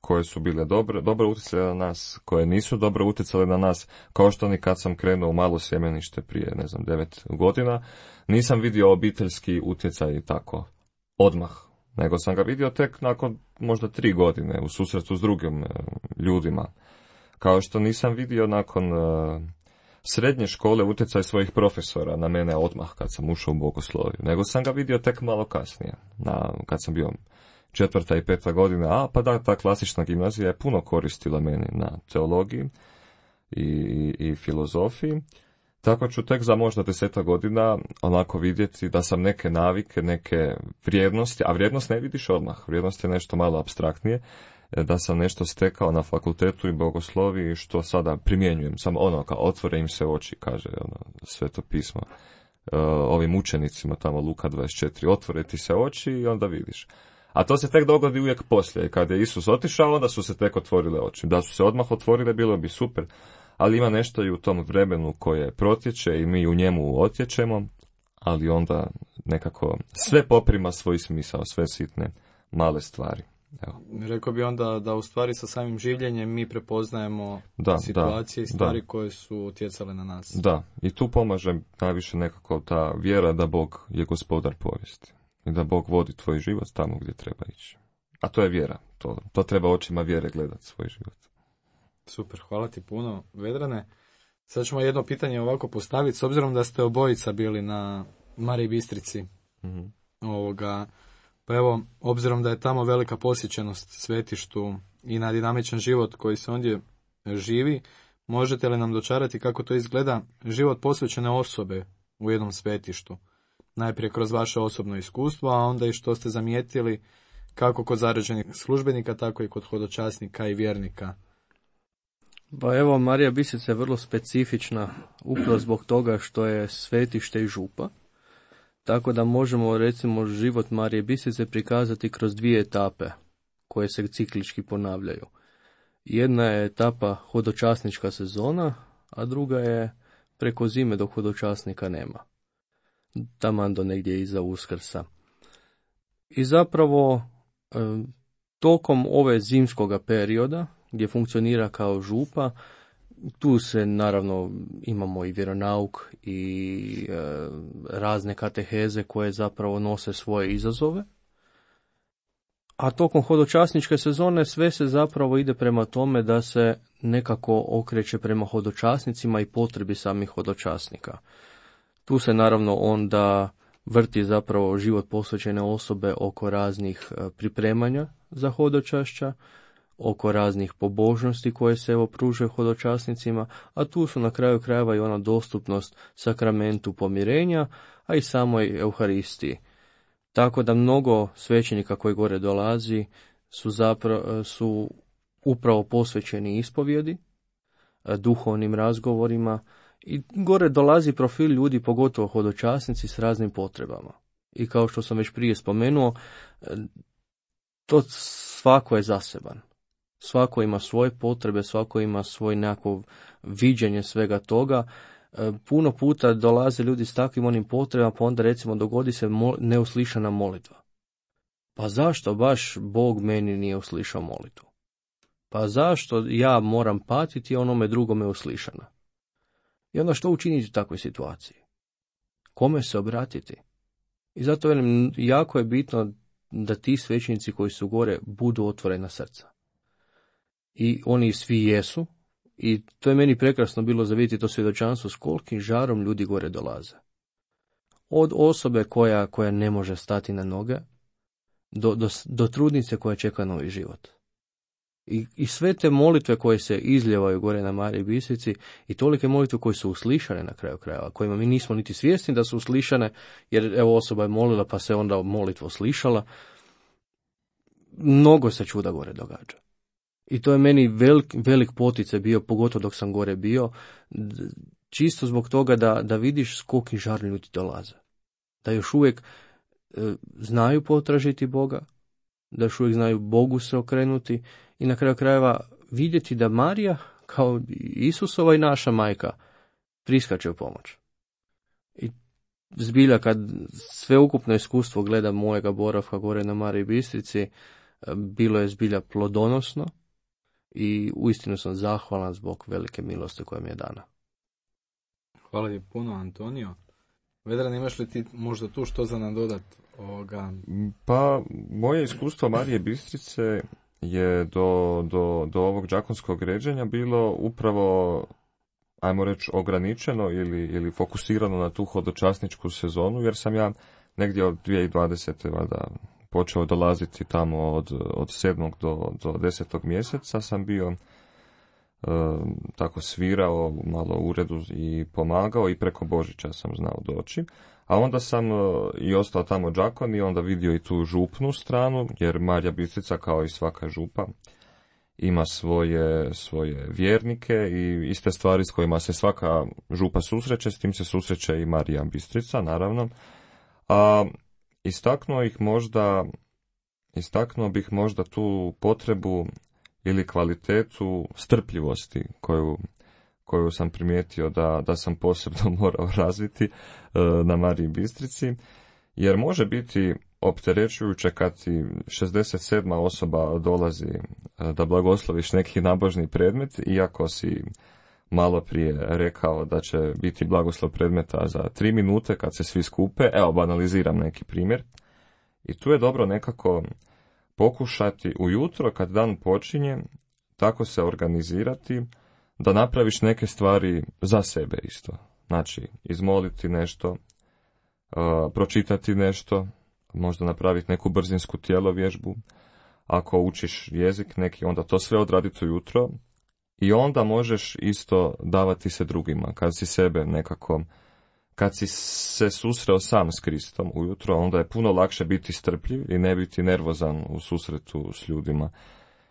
koje su bile dobre, dobro utjecale na nas, koje nisu dobro utjecale na nas, kao što ni kad sam krenuo u malo sjemenište prije, ne znam, devet godina, nisam vidio obiteljski utjecaj tako odmah, nego sam ga vidio tek nakon možda tri godine u susretu s drugim e, ljudima. Kao što nisam vidio nakon e, srednje škole utjecaj svojih profesora na mene odmah kad sam ušao u bogosloviju, nego sam ga vidio tek malo kasnije, na, kad sam bio četvrta i peta godina, a pa da, ta klasična gimnazija je puno koristila meni na teologiji i, i, i filozofiji. Tako ću tek za možda deseta godina onako vidjeti da sam neke navike, neke vrijednosti, a vrijednost ne vidiš odmah, vrijednost je nešto malo apstraktnije, da sam nešto stekao na fakultetu i bogosloviji što sada primjenjujem, samo ono kao otvore im se oči, kaže ono, Sveto pismo, ovim učenicima tamo Luka dvadeset četiri, otvore ti se oči i onda vidiš. A to se tek dogodi uvijek poslije. Kad je Isus otišao, onda su se tek otvorile oči. Da su se odmah otvorile, bilo bi super. Ali ima nešto i u tom vremenu koje protječe i mi u njemu otječemo, ali onda nekako sve poprima svoj smisao, sve sitne, male stvari. Evo. Rekao bi onda da u stvari sa samim življenjem mi prepoznajemo da, situacije da, i stvari da. koje su utjecale na nas. Da, i tu pomaže najviše nekako ta vjera da Bog je gospodar povijesti i da Bog vodi tvoj život tamo gdje treba ići. A to je vjera, to, to treba očima vjere gledati svoj život. Super, hvala ti puno, Vedrane. Sad ćemo jedno pitanje ovako postaviti, s obzirom da ste obojica bili na Mariji Bistrici. Mm-hmm. Ovoga, pa evo, obzirom da je tamo velika posjećenost svetištu i na dinamičan život koji se ondje živi, možete li nam dočarati kako to izgleda život posvećene osobe u jednom svetištu? Najprije kroz vaše osobno iskustvo, a onda i što ste zamijetili kako kod zarađenih službenika, tako i kod hodočasnika i vjernika. Pa evo, Marija Bistrica je vrlo specifična upravo zbog toga što je svetište i župa. Tako da možemo, recimo, život Marije Bistrice prikazati kroz dvije etape koje se ciklički ponavljaju. Jedna je etapa hodočasnička sezona, a druga je preko zime dok hodočasnika nema. Taman do negdje iza Uskrsa. I zapravo tokom ove zimskoga perioda gdje funkcionira kao župa, tu se naravno imamo i vjeronauk i e, razne kateheze koje zapravo nose svoje izazove. A tokom hodočasničke sezone sve se zapravo ide prema tome da se nekako okreće prema hodočasnicima i potrebi samih hodočasnika. Tu se naravno onda vrti zapravo život posvećene osobe oko raznih pripremanja za hodočašća, oko raznih pobožnosti koje se evo pružaju hodočasnicima, a tu su na kraju krajeva i ona dostupnost sakramentu pomirenja, a i samoj Euharistiji. Tako da mnogo svećenika koji gore dolazi su, zapravo, su upravo posvećeni ispovjedi, duhovnim razgovorima, i gore dolazi profil ljudi, pogotovo hodočasnici, s raznim potrebama. I kao što sam već prije spomenuo, to svako je zaseban. Svako ima svoje potrebe, svako ima svoj nekako viđenje svega toga. Puno puta dolaze ljudi s takvim onim potrebama, pa onda recimo dogodi se mol- neuslišana molitva. Pa zašto baš Bog meni nije uslišao molitvu? Pa zašto ja moram patiti, onome drugome uslišana? I onda što učiniti u takvoj situaciji? Kome se obratiti? I zato velim, jako je bitno da ti svećenici koji su gore budu otvorena srca. I oni svi jesu. I to je meni prekrasno bilo za vidjeti to svjedočanstvo s kolikim žarom ljudi gore dolaze. Od osobe koja, koja ne može stati na noge, do, do, do trudnice koja čeka novi život. I, I sve te molitve koje se izljevaju gore na Mariji Bistrici i tolike molitve koje su uslišane na kraju krajeva, kojima mi nismo niti svjesni da su uslišane, jer evo osoba je molila pa se onda molitva uslišala. Mnogo se čuda gore događa. I to je meni velik, velik poticaj bio, pogotovo dok sam gore bio, čisto zbog toga da, da vidiš s kolikim žarom ljudi dolaze. Da još uvijek e, znaju potražiti Boga, da još uvijek znaju Bogu se okrenuti i na kraju krajeva vidjeti da Marija, kao Isusova i naša majka, priskače u pomoć. I zbilja kad sveukupno iskustvo gleda mojega boravka gore na Mariji Bistrici, bilo je zbilja plodonosno i uistinu sam zahvalan zbog velike milosti koja mi je dana. Hvala ti puno, Antonio. Vedran, imaš li ti možda tu što za nadodat ovoga? Pa, moje iskustvo Marije Bistrice je do, do, do ovog đakonskog ređenja bilo upravo, ajmo reći, ograničeno ili, ili fokusirano na tu hodočasničku sezonu, jer sam ja negdje od dvije tisuće dvadesete valjda počeo dolaziti tamo od, od sedmog do, do desetog mjeseca, sam bio e, tako svirao malo u uredu i pomagao i preko Božića sam znao doći. A onda sam e, i ostao tamo đakon i onda vidio i tu župnu stranu, jer Marija Bistrica kao i svaka župa ima svoje, svoje vjernike i iste stvari s kojima se svaka župa susreće, s tim se susreće i Marija Bistrica, naravno. A istaknuo ih možda, istaknuo bih možda tu potrebu ili kvalitetu strpljivosti koju, koju sam primijetio da, da sam posebno morao razviti na Mariji Bistrici, jer može biti opterećujuće kad ti šezdeset sedma osoba dolazi da blagosloviš neki nabožni predmet, iako si malo prije rekao da će biti blagoslov predmeta za tri minute kad se svi skupe. Evo, banaliziram neki primjer. I tu je dobro nekako pokušati ujutro kad dan počinje tako se organizirati da napraviš neke stvari za sebe isto. Znači, izmoliti nešto, uh, pročitati nešto, možda napraviti neku brzinsku tjelovježbu. Ako učiš jezik neki, onda to sve odraditi ujutro i onda možeš isto davati se drugima. Kad si sebe nekako, kad si se susreo sam s Kristom ujutro, onda je puno lakše biti strpljiv i ne biti nervozan u susretu s ljudima.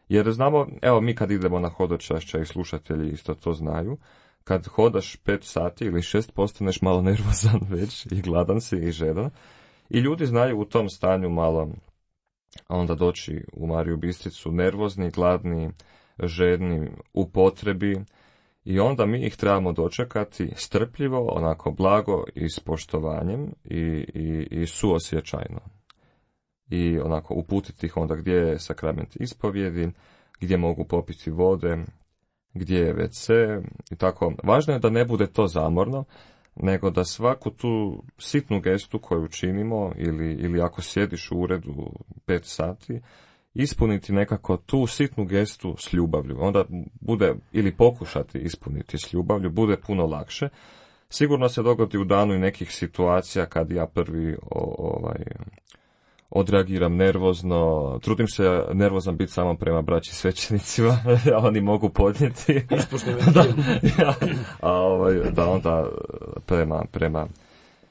Jer znamo, evo mi kad idemo na hodočašća i slušatelji isto to znaju, kad hodaš pet sati ili šest postaneš malo nervozan već i gladan si i žedan. I ljudi znaju u tom stanju malo onda doći u Mariju Bistricu nervozni, gladni, žedni, u potrebi i onda mi ih trebamo dočekati strpljivo, onako blago i s poštovanjem i, i, i suosjećajno. I onako uputiti ih onda gdje je sakrament ispovjedi, gdje mogu popiti vode, gdje je ve ce i tako. Važno je da ne bude to zamorno, nego da svaku tu sitnu gestu koju činimo ili, ili ako sjediš u uredu pet sati, ispuniti nekako tu sitnu gestu s ljubavlju. Onda bude, ili pokušati ispuniti s ljubavlju, bude puno lakše. Sigurno se dogodi u danu i nekih situacija kad ja prvi o, ovaj, odreagiram nervozno, trudim se nervozan biti samo prema braći svećenicima, a oni mogu podnijeti. da, ja, a ovaj, da onda prema, prema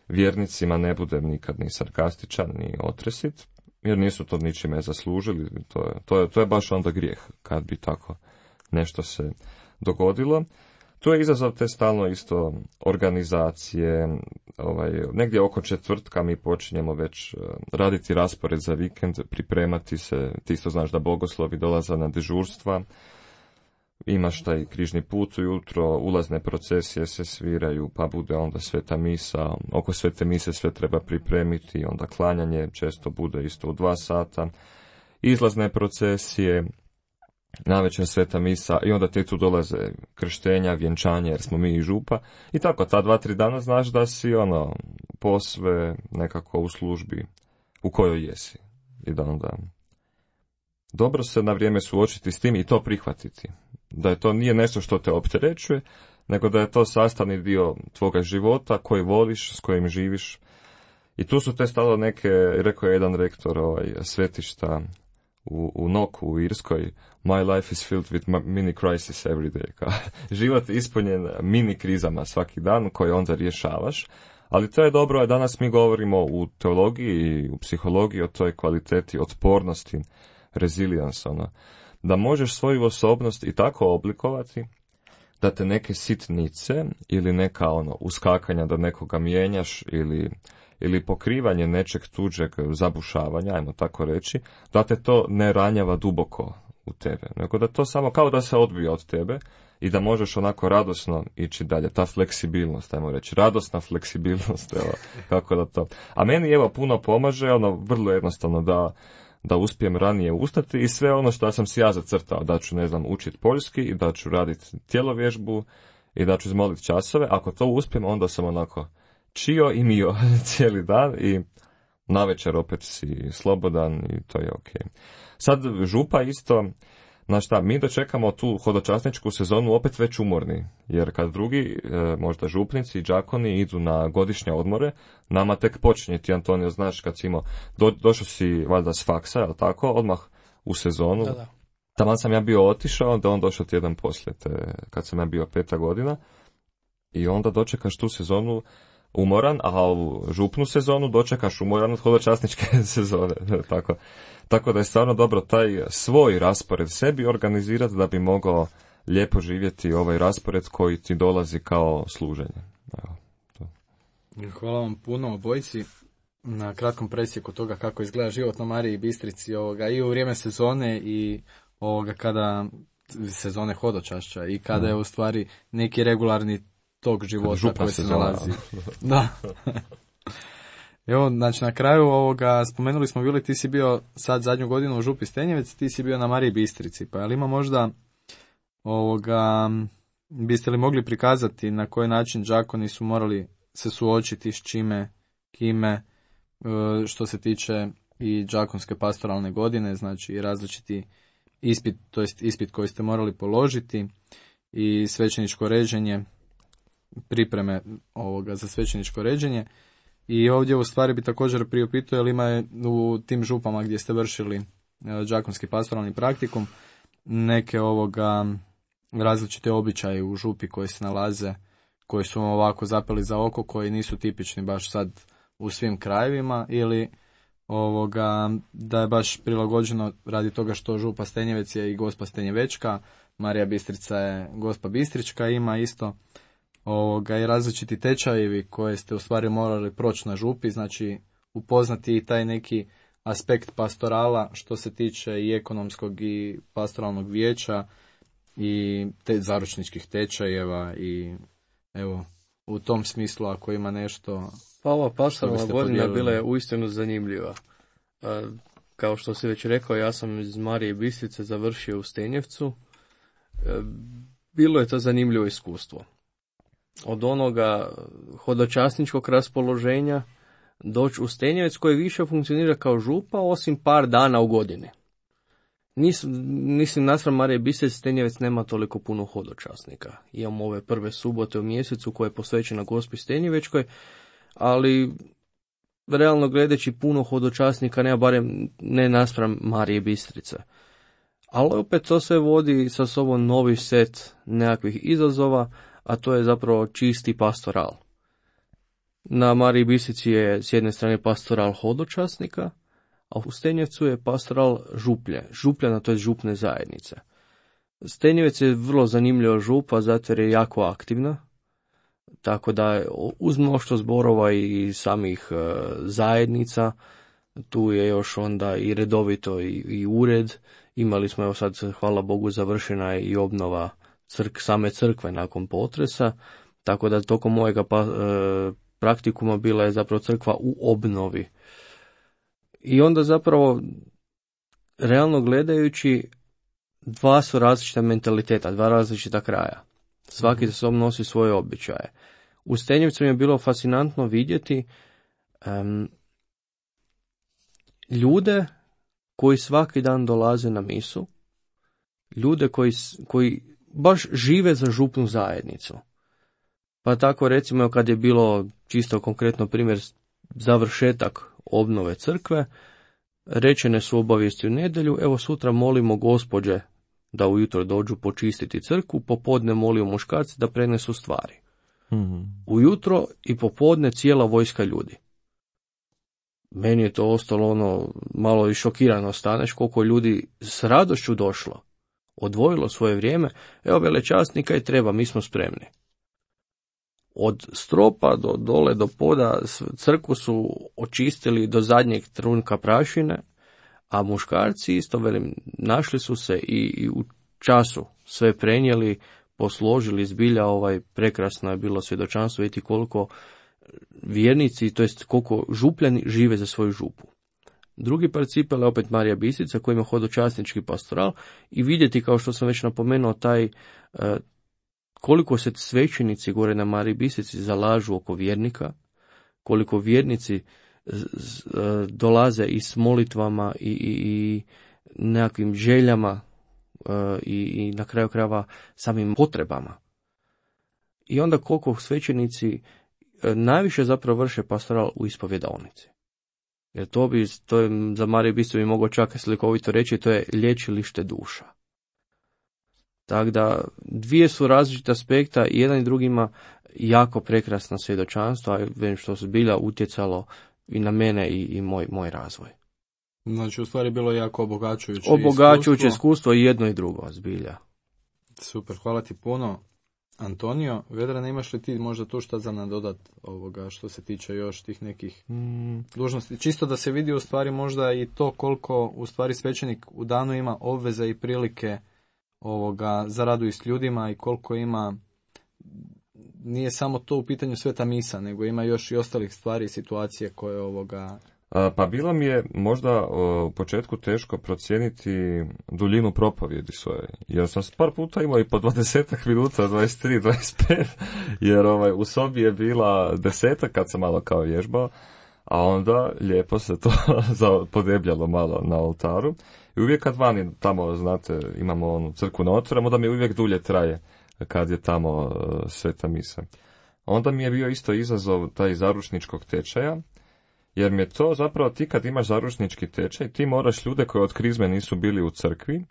vjernicima ne budem nikad ni sarkastičan, ni otresit, jer nisu to ničime zaslužili. To je, to je, to je baš onda grijeh kad bi tako nešto se dogodilo. Tu je izazov te stalno isto organizacije, ovaj, negdje oko četvrtka mi počinjemo već raditi raspored za vikend, pripremati se, ti isto znaš da bogoslovi dolaze na dežurstva, imaš taj križni put ujutro, ulazne procesije se sviraju, pa bude onda sveta misa, oko svete mise sve treba pripremiti, onda klanjanje često bude isto u dva sata, izlazne procesije, navečer sveta misa i onda te tu dolaze krštenja, vjenčanje jer smo mi i župa i tako ta dva, tri dana znaš da si ono posve nekako u službi u kojoj jesi i da onda dobro se na vrijeme suočiti s tim i to prihvatiti. Da je to nije nešto što te opterećuje, nego da je to sastavni dio tvoga života koji voliš, s kojim živiš. I tu su te stalo neke, rekao je jedan rektor ovaj, svetišta u, u Noku u Irskoj, my life is filled with mini crisis every day. Ka, život je ispunjen mini krizama svaki dan koje onda rješavaš. Ali to je dobro, a danas mi govorimo u teologiji i u psihologiji o toj kvaliteti otpornosti, resilience, ono, da možeš svoju osobnost i tako oblikovati da te neke sitnice ili neka ono uskakanja da nekoga mijenjaš ili, ili pokrivanje nečeg tuđeg zabušavanja, ajmo tako reći, da te to ne ranjava duboko u tebe, nego da to samo kao da se odbija od tebe i da možeš onako radosno ići dalje. Ta fleksibilnost, ajmo reći, radosna fleksibilnost, evo, kako da to. A meni evo puno pomaže, ono vrlo jednostavno da da uspijem ranije ustati i sve ono što sam si ja zacrtao, da ću, ne znam, učiti poljski i da ću raditi tjelovježbu i da ću izmoliti časove. Ako to uspijem, onda sam onako čio i mio cijeli dan i navečer opet si slobodan i to je ok. Sad župa isto, znaš šta, mi dočekamo tu hodočasničku sezonu opet već umorni, jer kad drugi, možda župnici i đakoni idu na godišnje odmore, nama tek počinje. Ti, Antonio, znaš, kad si imao, do, došao si valjda s faksa, jel tako, odmah u sezonu. Da, da. Taman sam ja bio otišao, onda on došao tjedan poslije, te, kad sam ja bio peta godina, i onda dočekaš tu sezonu umoran, a u župnu sezonu dočekaš umoran od hodočasničke sezone. Tako, tako da je stvarno dobro taj svoj raspored sebi organizirati da bi mogao lijepo živjeti ovaj raspored koji ti dolazi kao služenje. Evo, to. Hvala vam puno obojici na kratkom presjeku toga kako izgleda život na Mariji Bistrici ovoga, i u vrijeme sezone i ovoga kada sezone hodočašća i kada je u stvari neki regularni tog života koji se nalazi. Da. Evo, znači na kraju ovoga spomenuli smo bili, ti si bio sad zadnju godinu u župi Stenjevec, ti si bio na Mariji Bistrici, pa ali ima možda ovoga, biste li mogli prikazati na koji način đakoni su morali se suočiti s čime, kime, što se tiče i đakonske pastoralne godine, znači različiti ispit, to jest ispit koji ste morali položiti i svećeničko ređenje, pripreme ovoga za svećeničko ređenje. I ovdje u stvari bi također priupitao, jel ima u tim župama gdje ste vršili đakonski pastoralni praktikum neke ovoga različite običaje u župi koji se nalaze, koji su ovako zapeli za oko, koji nisu tipični baš sad u svim krajevima, ili ovoga da je baš prilagođeno radi toga što župa Stenjevec je i Gospa Stenjevečka, Marija Bistrica je Gospa Bistrička, ima isto ovoga i različiti tečajevi koje ste u stvari morali proći na župi, znači upoznati i taj neki aspekt pastorala što se tiče i ekonomskog i pastoralnog vijeća i te zaručničkih tečajeva i evo u tom smislu ako ima nešto. Pa ova pastoralna godina bila je uistinu zanimljiva. E, kao što si već rekao, ja sam iz Marije Bistrice završio u Stenjevcu. E, bilo je to zanimljivo iskustvo. Od onoga hodočasničkog raspoloženja doći u Stenjevec koji više funkcionira kao župa osim par dana u godini. Nis, mislim, naspram Marije Bistrice Stenjevec nema toliko puno hodočasnika. Imamo ove prve subote u mjesecu koja je posvećena Gospi Stenjevečkoj, ali realno gledajući puno hodočasnika nema, barem ne naspram Marije Bistrice. Ali opet to sve vodi sa sobom novi set nekakvih izazova, a to je zapravo čisti pastoral. Na Mariji Bistrici je s jedne strane pastoral hodočasnika, a u Stenjevcu je pastoral župlje, župljana, to je župne zajednice. Stenjevec je vrlo zanimljiva župa, zato jer je jako aktivna, tako da uz mnoštvo zborova i samih e, zajednica, tu je još onda i redovito i, i ured. Imali smo, evo sad, hvala Bogu, završena je i obnova crk, same crkve nakon potresa, tako da tokom mojega pa, e, praktikuma bila je zapravo crkva u obnovi. I onda zapravo, realno gledajući, dva su različita mentaliteta, dva različita kraja. Svaki za sobom nosi svoje običaje. U Stenjevcu mi je bilo fascinantno vidjeti um, ljude koji svaki dan dolaze na misu, ljude koji, koji baš žive za župnu zajednicu. Pa tako recimo kad je bilo čisto konkretno primjer završetak obnove crkve, rečene su obavijesti u nedjelju, evo sutra molimo gospođe da ujutro dođu počistiti crkvu, popodne molimo muškarci da prenesu stvari. Mm-hmm. Ujutro i popodne cijela vojska ljudi. Meni je to ostalo ono malo i šokirano, staneš koliko ljudi s radošću došlo, odvojilo svoje vrijeme, evo velečasnika i treba, mi smo spremni. Od stropa do dole do poda crkvu su očistili do zadnjeg trunka prašine, a muškarci isto, velim, našli su se i, i u času sve prenijeli, posložili zbilja, ovaj, prekrasno je bilo svjedočanstvo vidjeti koliko vjernici, to jest koliko župljani žive za svoju župu. Drugi princip je opet Marija Bistrica koji ima hodočasnički pastoral i vidjeti, kao što sam već napomenuo, taj eh, koliko se svećenici gore na Mariji Bistrici zalažu oko vjernika, koliko vjernici dolaze i s molitvama i, i, i nekakvim željama i, i na kraju krajeva samim potrebama. I onda koliko svećenici najviše zapravo vrše pastoral u ispovjedaonici. Jer to bi, to je za Mariju Bistricu bi mogao čak slikovito reći, to je liječilište duša. Tako da dvije su različita aspekta i jedan i drugima jako prekrasno svjedočanstvo, a već što se zbilja utjecalo i na mene i, i moj, moj razvoj. Znači, u stvari bilo jako obogaćujuće Obogaćujuće iskustvo. iskustvo i jedno i drugo, zbilja. Super, hvala ti puno. Antonio, Vedrane, imaš li ti možda tu šta za nadodat ovoga što se tiče još tih nekih Mm, dužnosti? Čisto da se vidi u stvari možda i to koliko u stvari svećenik u danu ima obveze i prilike ovoga za radu i s ljudima i koliko ima, nije samo to u pitanju sveta misa, nego ima još i ostalih stvari i situacije koje ovoga... a, pa bilo mi je možda o, u početku teško procijeniti duljinu propovjedi svoje, jer sam s par puta imao i po dvadesetak minuta, dvadeset tri, dvadeset pet, jer ovaj, u sobi je bila desetak kad sam malo kao vježbao, a onda lijepo se to podebljalo malo na oltaru. I uvijek kad vani tamo, znate, imamo onu crkvu na otvoramo, da mi uvijek dulje traje kad je tamo uh, sveta misa. Onda mi je bio isto izazov taj zaručničkog tečaja, jer mi je to zapravo ti kad imaš zaručnički tečaj, ti moraš ljude koji od krizme nisu bili u crkvi,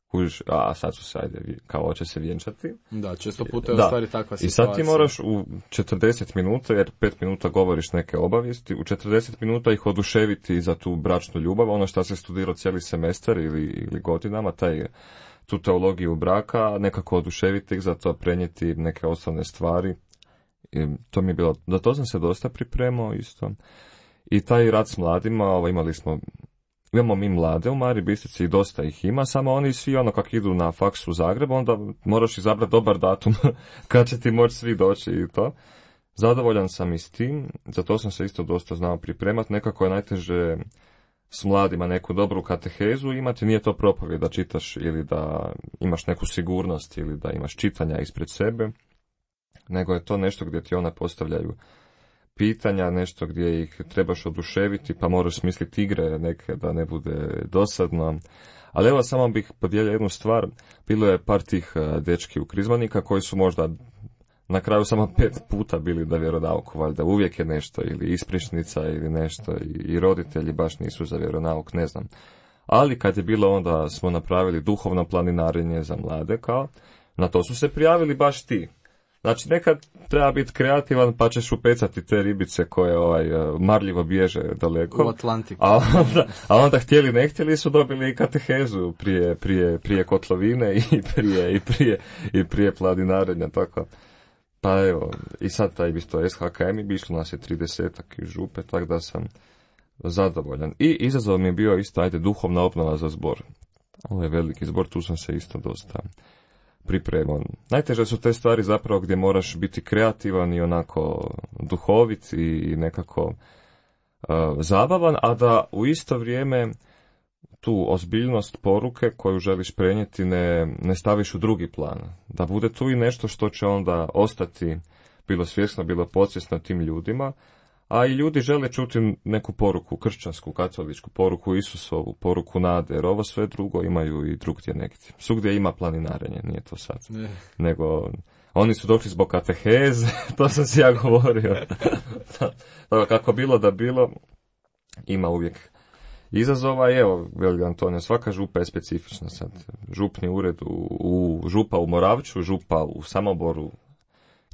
kužiš, a sad su se, ajde, kao će se vjenčati. Da, često puta je u Da. stvari takva situacija. I sad ti moraš u četrdeset minuta, jer pet minuta govoriš neke obavijesti, u četrdeset minuta ih oduševiti za tu bračnu ljubav, ono što se studirao cijeli semestar ili, ili godinama, taj, tu teologiju braka, nekako oduševiti ih, za to prenijeti neke osnovne stvari. I to mi je bilo, da to sam se dosta pripremao isto. I taj rad s mladima, ovo, imali smo, imamo mi mlade u Mariji Bistrici i dosta ih ima, samo oni svi ono kako idu na faks u Zagreb, onda moraš izabrati dobar datum kad će ti moći svi doći i to. Zadovoljan sam i s tim, za to sam se isto dosta znao pripremati, nekako je najteže s mladima neku dobru katehezu imati, nije to propovijed da čitaš ili da imaš neku sigurnost ili da imaš čitanja ispred sebe, nego je to nešto gdje ti one postavljaju pitanja, nešto gdje ih trebaš oduševiti, pa moraš smisliti igre neke da ne bude dosadno. Ali evo samo bih podijelio jednu stvar, bilo je par tih dečki u krizmanika koji su možda na kraju samo pet puta bili da vjeronauku, valjda uvijek je nešto, ili ispričnica ili nešto, i roditelji baš nisu za vjeronauk, ne znam. Ali kad je bilo onda smo napravili duhovno planinarenje za mlade, kao, na to su se prijavili baš ti. Znači, nekad treba biti kreativan, pa ćeš upecati te ribice koje ovaj, marljivo bježe daleko. U Atlantiku. A onda, a onda htjeli ne htjeli su dobili i katehezu prije, prije, prije kotlovine i prije, i prije, i prije planinarenja, tako. Pa evo, i sad taj isto S H K M bi išlo nas je tridesetak iz župe, tako da sam zadovoljan. I izazov mi je bio isto, ajde, duhovna obnova za zbor. Ovo je veliki zbor, tu sam se isto dosta pripremao. Najteže su te stvari zapravo gdje moraš biti kreativan i onako duhovit i nekako uh, zabavan, a da u isto vrijeme tu ozbiljnost poruke koju želiš prenijeti ne, ne staviš u drugi plan. Da bude tu i nešto što će onda ostati bilo svjesno, bilo podsvjesno tim ljudima, a i ljudi žele čuti neku poruku, kršćansku, katoličku, poruku Isusovu, poruku nade, jer ovo sve drugo imaju i drugdje negdje. Svugdje ima planinarenje, nije to sad. Ne. Nego, oni su došli zbog kateheze, to sam si ja govorio. Tako, kako bilo da bilo, ima uvijek izazova. I evo, veli Antonio, svaka župa je specifična sad. Župni ured u, u župa u Moravču, župa u Samoboru,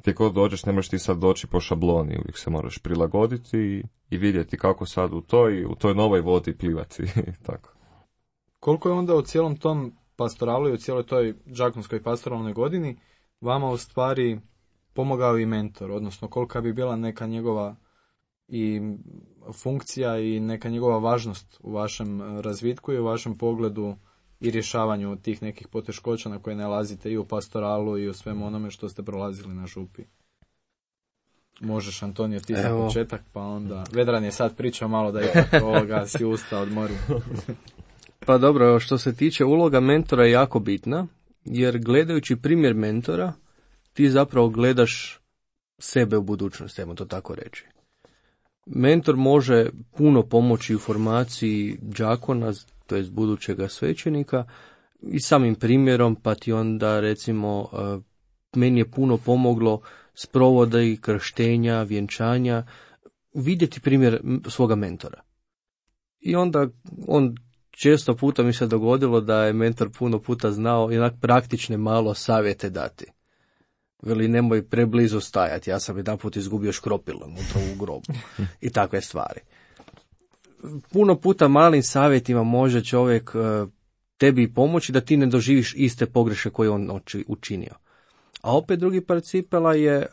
gdje god dođeš, ne možeš ti sad doći po šabloni, uvijek se moraš prilagoditi i, i vidjeti kako sad u toj, u toj novoj vodi plivati. Tako. Koliko je onda u cijelom tom pastoralu i u cijeloj toj đakonskoj pastoralnoj godini vama u stvari pomogao i mentor, odnosno kolika bi bila neka njegova i funkcija i neka njegova važnost u vašem razvitku i u vašem pogledu i rješavanju tih nekih poteškoća na koje nalazite i u pastoralu i u svemu onome što ste prolazili na župi. Možeš, Antonio, ti za početak, pa onda... Vedran je sad pričao malo da ipak ovoga si usta odmori. Pa dobro, što se tiče uloga mentora je jako bitna, jer gledajući primjer mentora, ti zapravo gledaš sebe u budućnosti, ajmo to tako reći. Mentor može puno pomoći u formaciji đakona, to jest budućega svećenika, i samim primjerom, pa ti onda recimo meni je puno pomoglo sprovoda i krštenja, vjenčanja, vidjeti primjer svoga mentora. I onda on često puta mi se dogodilo da je mentor puno puta znao i onak praktične malo savjete dati. Veli, nemoj preblizu stajati, ja sam jedan put izgubio škropilo unutra u grobu i takve stvari. Puno puta malim savjetima može čovjek tebi pomoći da ti ne doživiš iste pogreške koje on učinio. A opet drugi par cipela je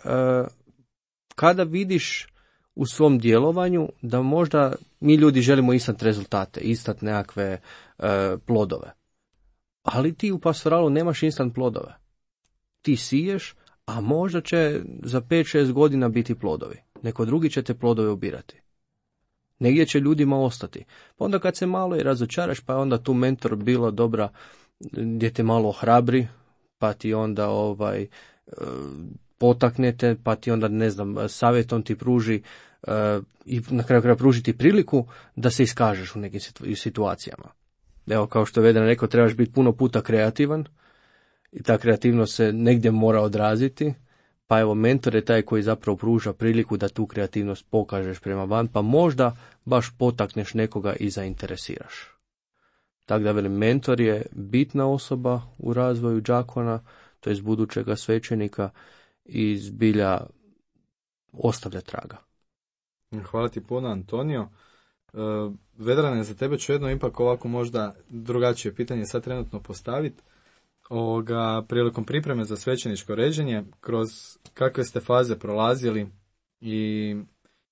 kada vidiš u svom djelovanju da možda mi ljudi želimo instant rezultate, instant nekakve plodove. Ali ti u pastoralu nemaš instant plodove. Ti siješ, a možda će za pet šest godina biti plodovi. Neko drugi će te plodove ubirati. Negdje će ljudima ostati. Pa onda kad se malo i razočaraš, pa onda tu mentor bilo dobra gdje te malo ohrabri, pa ti onda ovaj potaknete, pa ti onda, ne znam, savjetom ti pruži uh, i na kraju kraja pruži ti priliku da se iskažeš u nekim situacijama. Evo, kao što je Vedran rekao, trebaš biti puno puta kreativan i ta kreativnost se negdje mora odraziti, pa evo, mentor je taj koji zapravo pruža priliku da tu kreativnost pokažeš prema van, pa možda baš potakneš nekoga i zainteresiraš. Tako da, velim, mentor je bitna osoba u razvoju đakona, to je budućega svećenika, i zbilja ostavlja traga. Hvala ti puno, Antonio. Uh, Vedrane, za tebe ću jedno ipak ovako možda drugačije pitanje sad trenutno postaviti. Ovoga, prilikom pripreme za svećeničko ređenje, kroz kakve ste faze prolazili i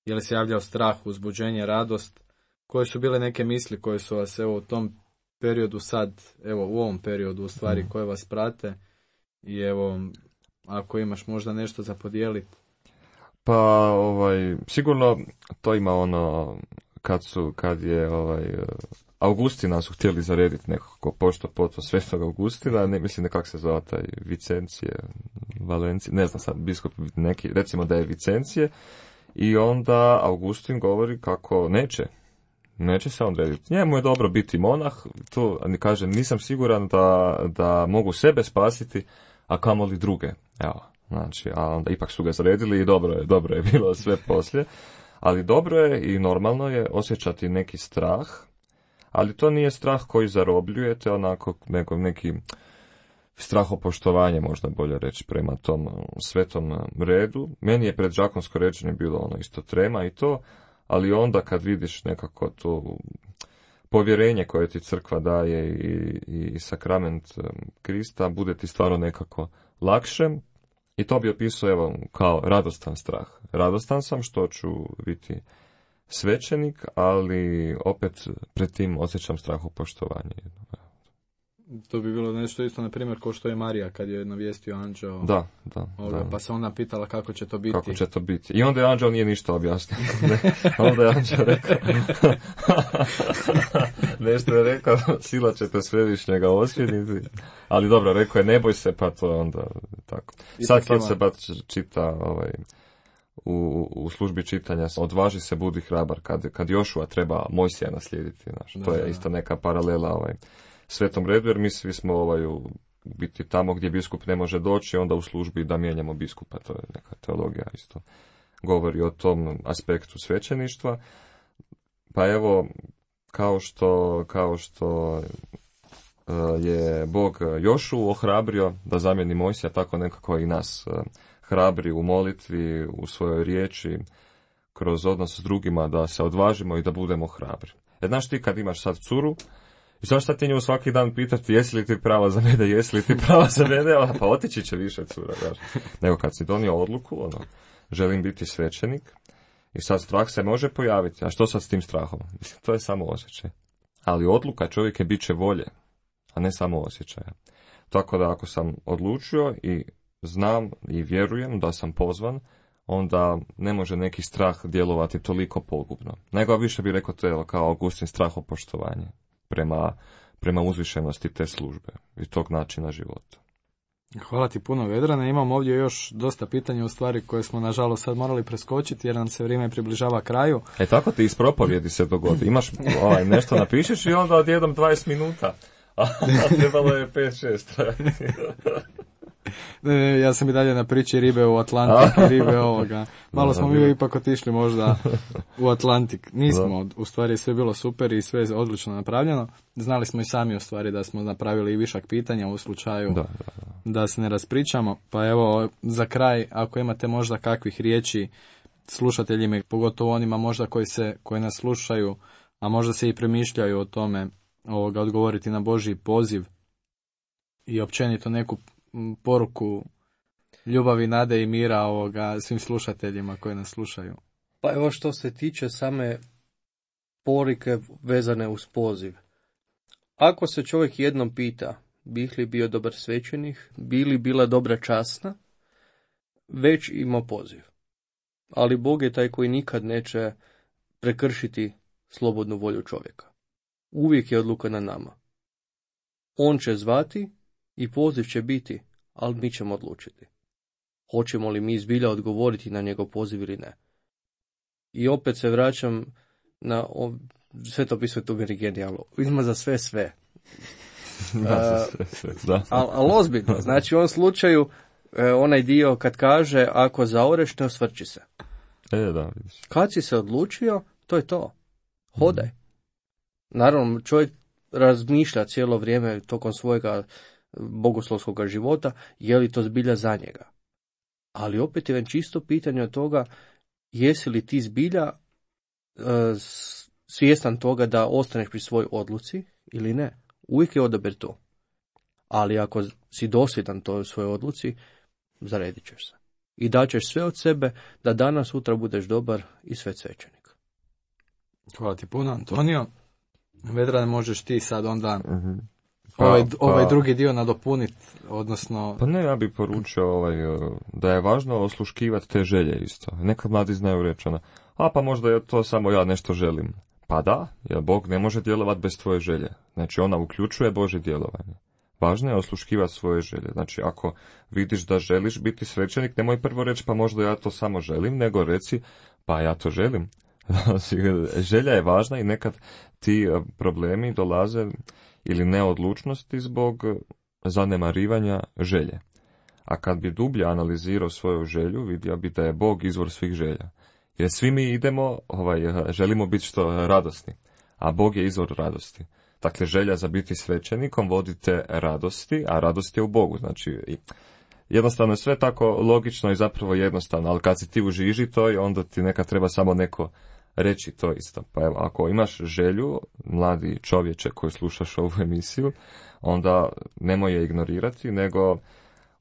je li se javljao strah, uzbuđenje, radost? Koje su bile neke misli koje su vas evo u tom periodu sad, evo u ovom periodu u stvari koje vas prate? I evo, ako imaš možda nešto za podijeliti. Pa, ovaj, sigurno to ima ono, kad su, kad je, ovaj, Augustina su htjeli zarediti nekako pošto poto Svetog Augustina, ne mislim nekak se zove taj Vicencije, Valencije, ne znam sad, biskup neki, recimo da je Vicencije, i onda Augustin govori kako neće, neće se on rediti. Njemu je dobro biti monah, to kaže, nisam siguran da, da mogu sebe spasiti, a kamoli druge. Evo, znači, a onda ipak su ga zaredili i dobro je, dobro je bilo sve poslije. Ali dobro je i normalno je osjećati neki strah, ali to nije strah koji zarobljujete, onako, nego neki strahopoštovanje, možda bolje reći, prema tom svetom redu. Meni je pred đakonsko ređenje bilo ono isto trema i to, ali onda kad vidiš nekako to povjerenje koje ti crkva daje i, i sakrament Krista, bude ti stvarno nekako lakše. I to bi opisao, evo, kao radostan strah. Radostan sam što ću biti svećenik, ali opet pred tim osjećam strahopoštovanje. To bi bilo nešto isto, na primjer, kao što je Marija kad je navijestio anđeo. Da, da, ovoga, da. Pa se ona pitala kako će to biti. Kako će to biti. I onda je anđeo nije ništa objasnio. Onda je anđeo rekao, nešto je rekao, sila ćete svevišnjega osvjediti. Ali dobro, rekao je, ne boj se, pa to je onda tako. Sad kad se bat čita ovaj, u, u službi čitanja, odvaži se, budi hrabar, kad, kad Jošua treba Mojsija naslijediti. Znaš, to je isto neka paralela ovaj, svetom redu, jer mi svi smo ovaj, u biti tamo gdje biskup ne može doći, onda u službi da mijenjamo biskupa, to je neka teologija isto govori o tom aspektu svećeništva. Pa evo, kao što, kao što je Bog Jošu ohrabrio da zamijeni Mojsija, tako nekako i nas hrabri u molitvi, u svojoj riječi, kroz odnos s drugima, da se odvažimo i da budemo hrabri. Jer znaš ti kad imaš sad curu, i sad šta ti nju svaki dan pitati, jesi li ti prava za mene, jesi li ti prava za mene, pa otići će više cura. Daš. Nego kad si donio odluku, ono, želim biti svećenik, i sad strah se može pojaviti. A što sad s tim strahom? Mislim, to je samo osjećaj. Ali odluka čovjek je bit će volje, a ne samo osjećaja. Tako da ako sam odlučio i znam i vjerujem da sam pozvan, onda ne može neki strah djelovati toliko pogubno. Nego više bi rekao to je kao Augustin strahopoštovanje prema, prema uzvišenosti te službe i tog načina života. Hvala ti puno, Vedrane. Imam ovdje još dosta pitanja u stvari koje smo nažalost sad morali preskočiti jer nam se vrijeme približava kraju. E tako ti iz propovjedi se dogodi. Imaš ovaj, nešto napišeš i onda odjednom dvadeset minuta. A trebalo je pet šest. Ne, ne, ja sam i dalje na priči ribe u Atlantik i ribe ovoga. Malo smo mi ipak otišli možda u Atlantik. Nismo, u stvari sve bilo super i sve je odlično napravljeno. Znali smo i sami u stvari da smo napravili i višak pitanja u slučaju da, da, da. da se ne raspričamo, pa evo za kraj, ako imate možda kakvih riječi slušateljima, pogotovo onima možda koji, se, koji nas slušaju, a možda se i premišljaju o tome, ovoga, odgovoriti na Božji poziv i općenito neku poruku ljubavi, nade i mira ovoga svim slušateljima koji nas slušaju. Pa evo što se tiče same poruke vezane uz poziv. Ako se čovjek jednom pita bih li bio dobar svećenik, bi li bila dobra časna, već ima poziv. Ali Bog je taj koji nikad neće prekršiti slobodnu volju čovjeka. Uvijek je odluka na nama. On će zvati i poziv će biti, ali mi ćemo odlučiti. Hoćemo li mi zbilja odgovoriti na njegov poziv ili ne. I opet se vraćam na sve to pismo, to mi je genijalno. Ima za sve sve. Da, sve, sve, da. Ali al ozbiljno. Znači u ovom slučaju onaj dio kad kaže ako zaoreš ne osvrći se. E, da, vidiš. Kad si se odlučio, to je to. Hodaj. Naravno, čovjek razmišlja cijelo vrijeme tokom svojega bogoslovskog života, je li to zbilja za njega. Ali opet je već čisto pitanje od toga, jesi li ti zbilja uh, svjestan toga da ostaneš pri svojoj odluci ili ne. Uvijek je odabir to. Ali ako si dosljedan toj svojoj odluci, zaredit ćeš se. I daćeš sve od sebe da danas, sutra budeš dobar i svećenik. Hvala ti puno, Antonio. Vedrane, možeš ti sad onda uh-huh. pa, ovaj, pa, ovaj drugi dio nadopuniti, odnosno... Pa ne, ja bih poručio ovaj, da je važno osluškivati te želje isto. Nekad mladi znaju reći ona, a pa možda je to samo ja nešto želim. Pa da, jer Bog ne može djelovati bez tvoje želje. Znači ona uključuje Božje djelovanje. Važno je osluškivati svoje želje. Znači ako vidiš da želiš biti svećenik, nemoj prvo reći pa možda ja to samo želim, nego reci pa ja to želim. Želja je važna i nekad ti problemi dolaze ili neodlučnosti zbog zanemarivanja želje. A kad bi dublje analizirao svoju želju, vidio bi da je Bog izvor svih želja. Jer svi mi idemo, ovaj, želimo biti što radosni, a Bog je izvor radosti. Dakle, želja za biti svećenikom vodite radosti, a radost je u Bogu. Znači, jednostavno je sve tako logično i zapravo jednostavno, ali kad si ti u žiži toj, onda ti nekad treba samo neko reći to isto. Pa evo, ako imaš želju, mladi čovječe koji slušaš ovu emisiju, onda nemoj je ignorirati, nego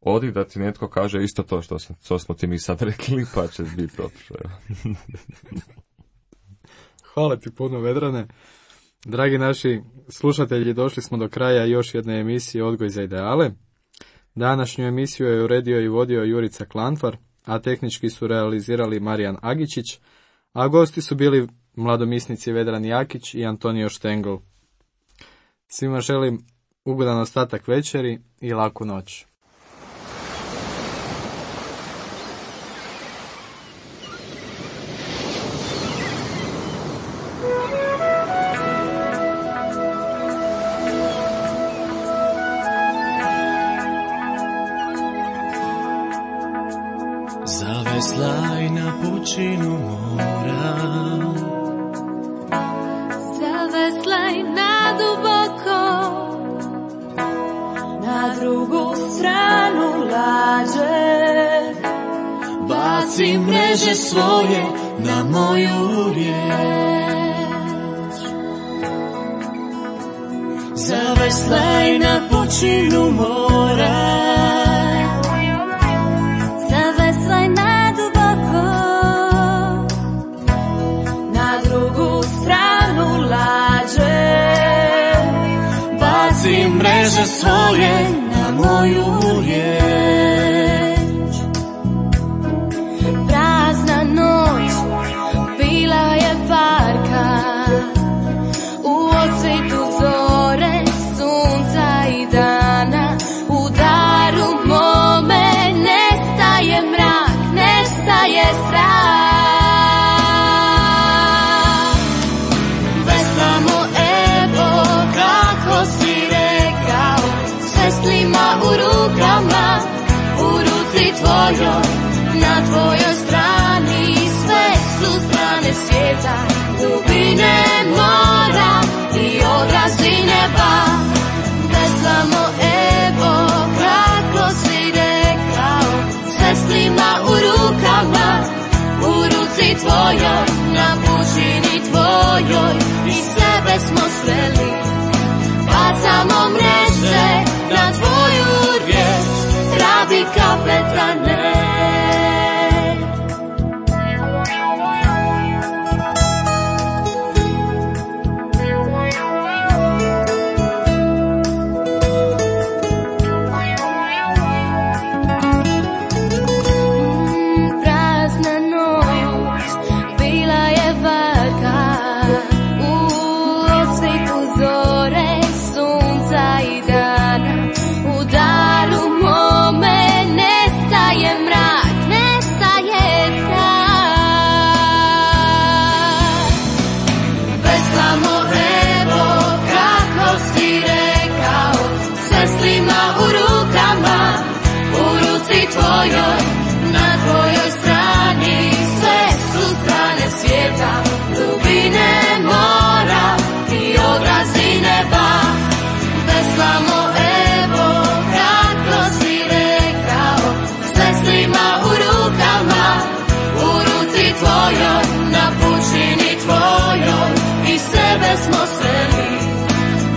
odi da ti netko kaže isto to što, što smo ti mi sad rekli, pa će biti dobro. Hvala ti puno, Vedrane. Dragi naši slušatelji, došli smo do kraja još jedne emisije Odgoj za ideale. Današnju emisiju je uredio i vodio Jurica Klanfar, a tehnički su realizirali Marijan Agičić, a gosti su bili mladomisnici Vedran Jakić i Antonio Štengl. Svima želim ugodan ostatak večeri i laku noć. Zaveslaj na pučinu mora, zaveslaj na duboko, na drugu stranu lađe. Baci mreže svoje na moju riječ. Zaveslaj na pučinu mora, mreže svoje na moju riječ. Prazna noć bila je parka, u odsvitu zore, sunca i dana. U daru mome nestaje mrak, nestaje strah. Veslamo, evo kako si veslima u rukama, u ruci tvojoj, na tvojoj strani sve su strane svijeta, dubine mora i odrazi neba. Veslamo, evo kako ruci tvojoj, na tvojoj strani, sve su strane svijeta, dubine mora i obrazi neba. Veslamo evo kako si rekao, s veslima u rukama, u ruci tvojoj, na pučini tvojoj, i sebe smo sveli.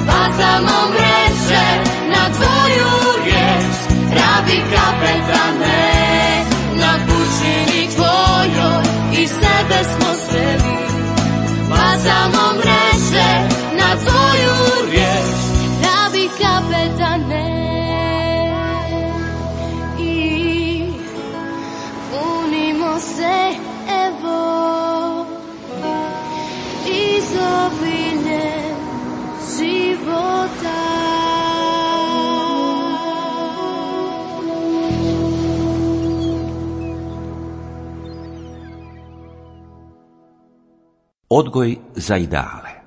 Bacamo mreže na tvoju riječ, rabi kapetane, na pučini tvojoj, i sebe smo sveli. Bacamo mreže na tvoju riječ, rabi kapetane, i punimo se evo izobiljem života. Odgoj za ideale.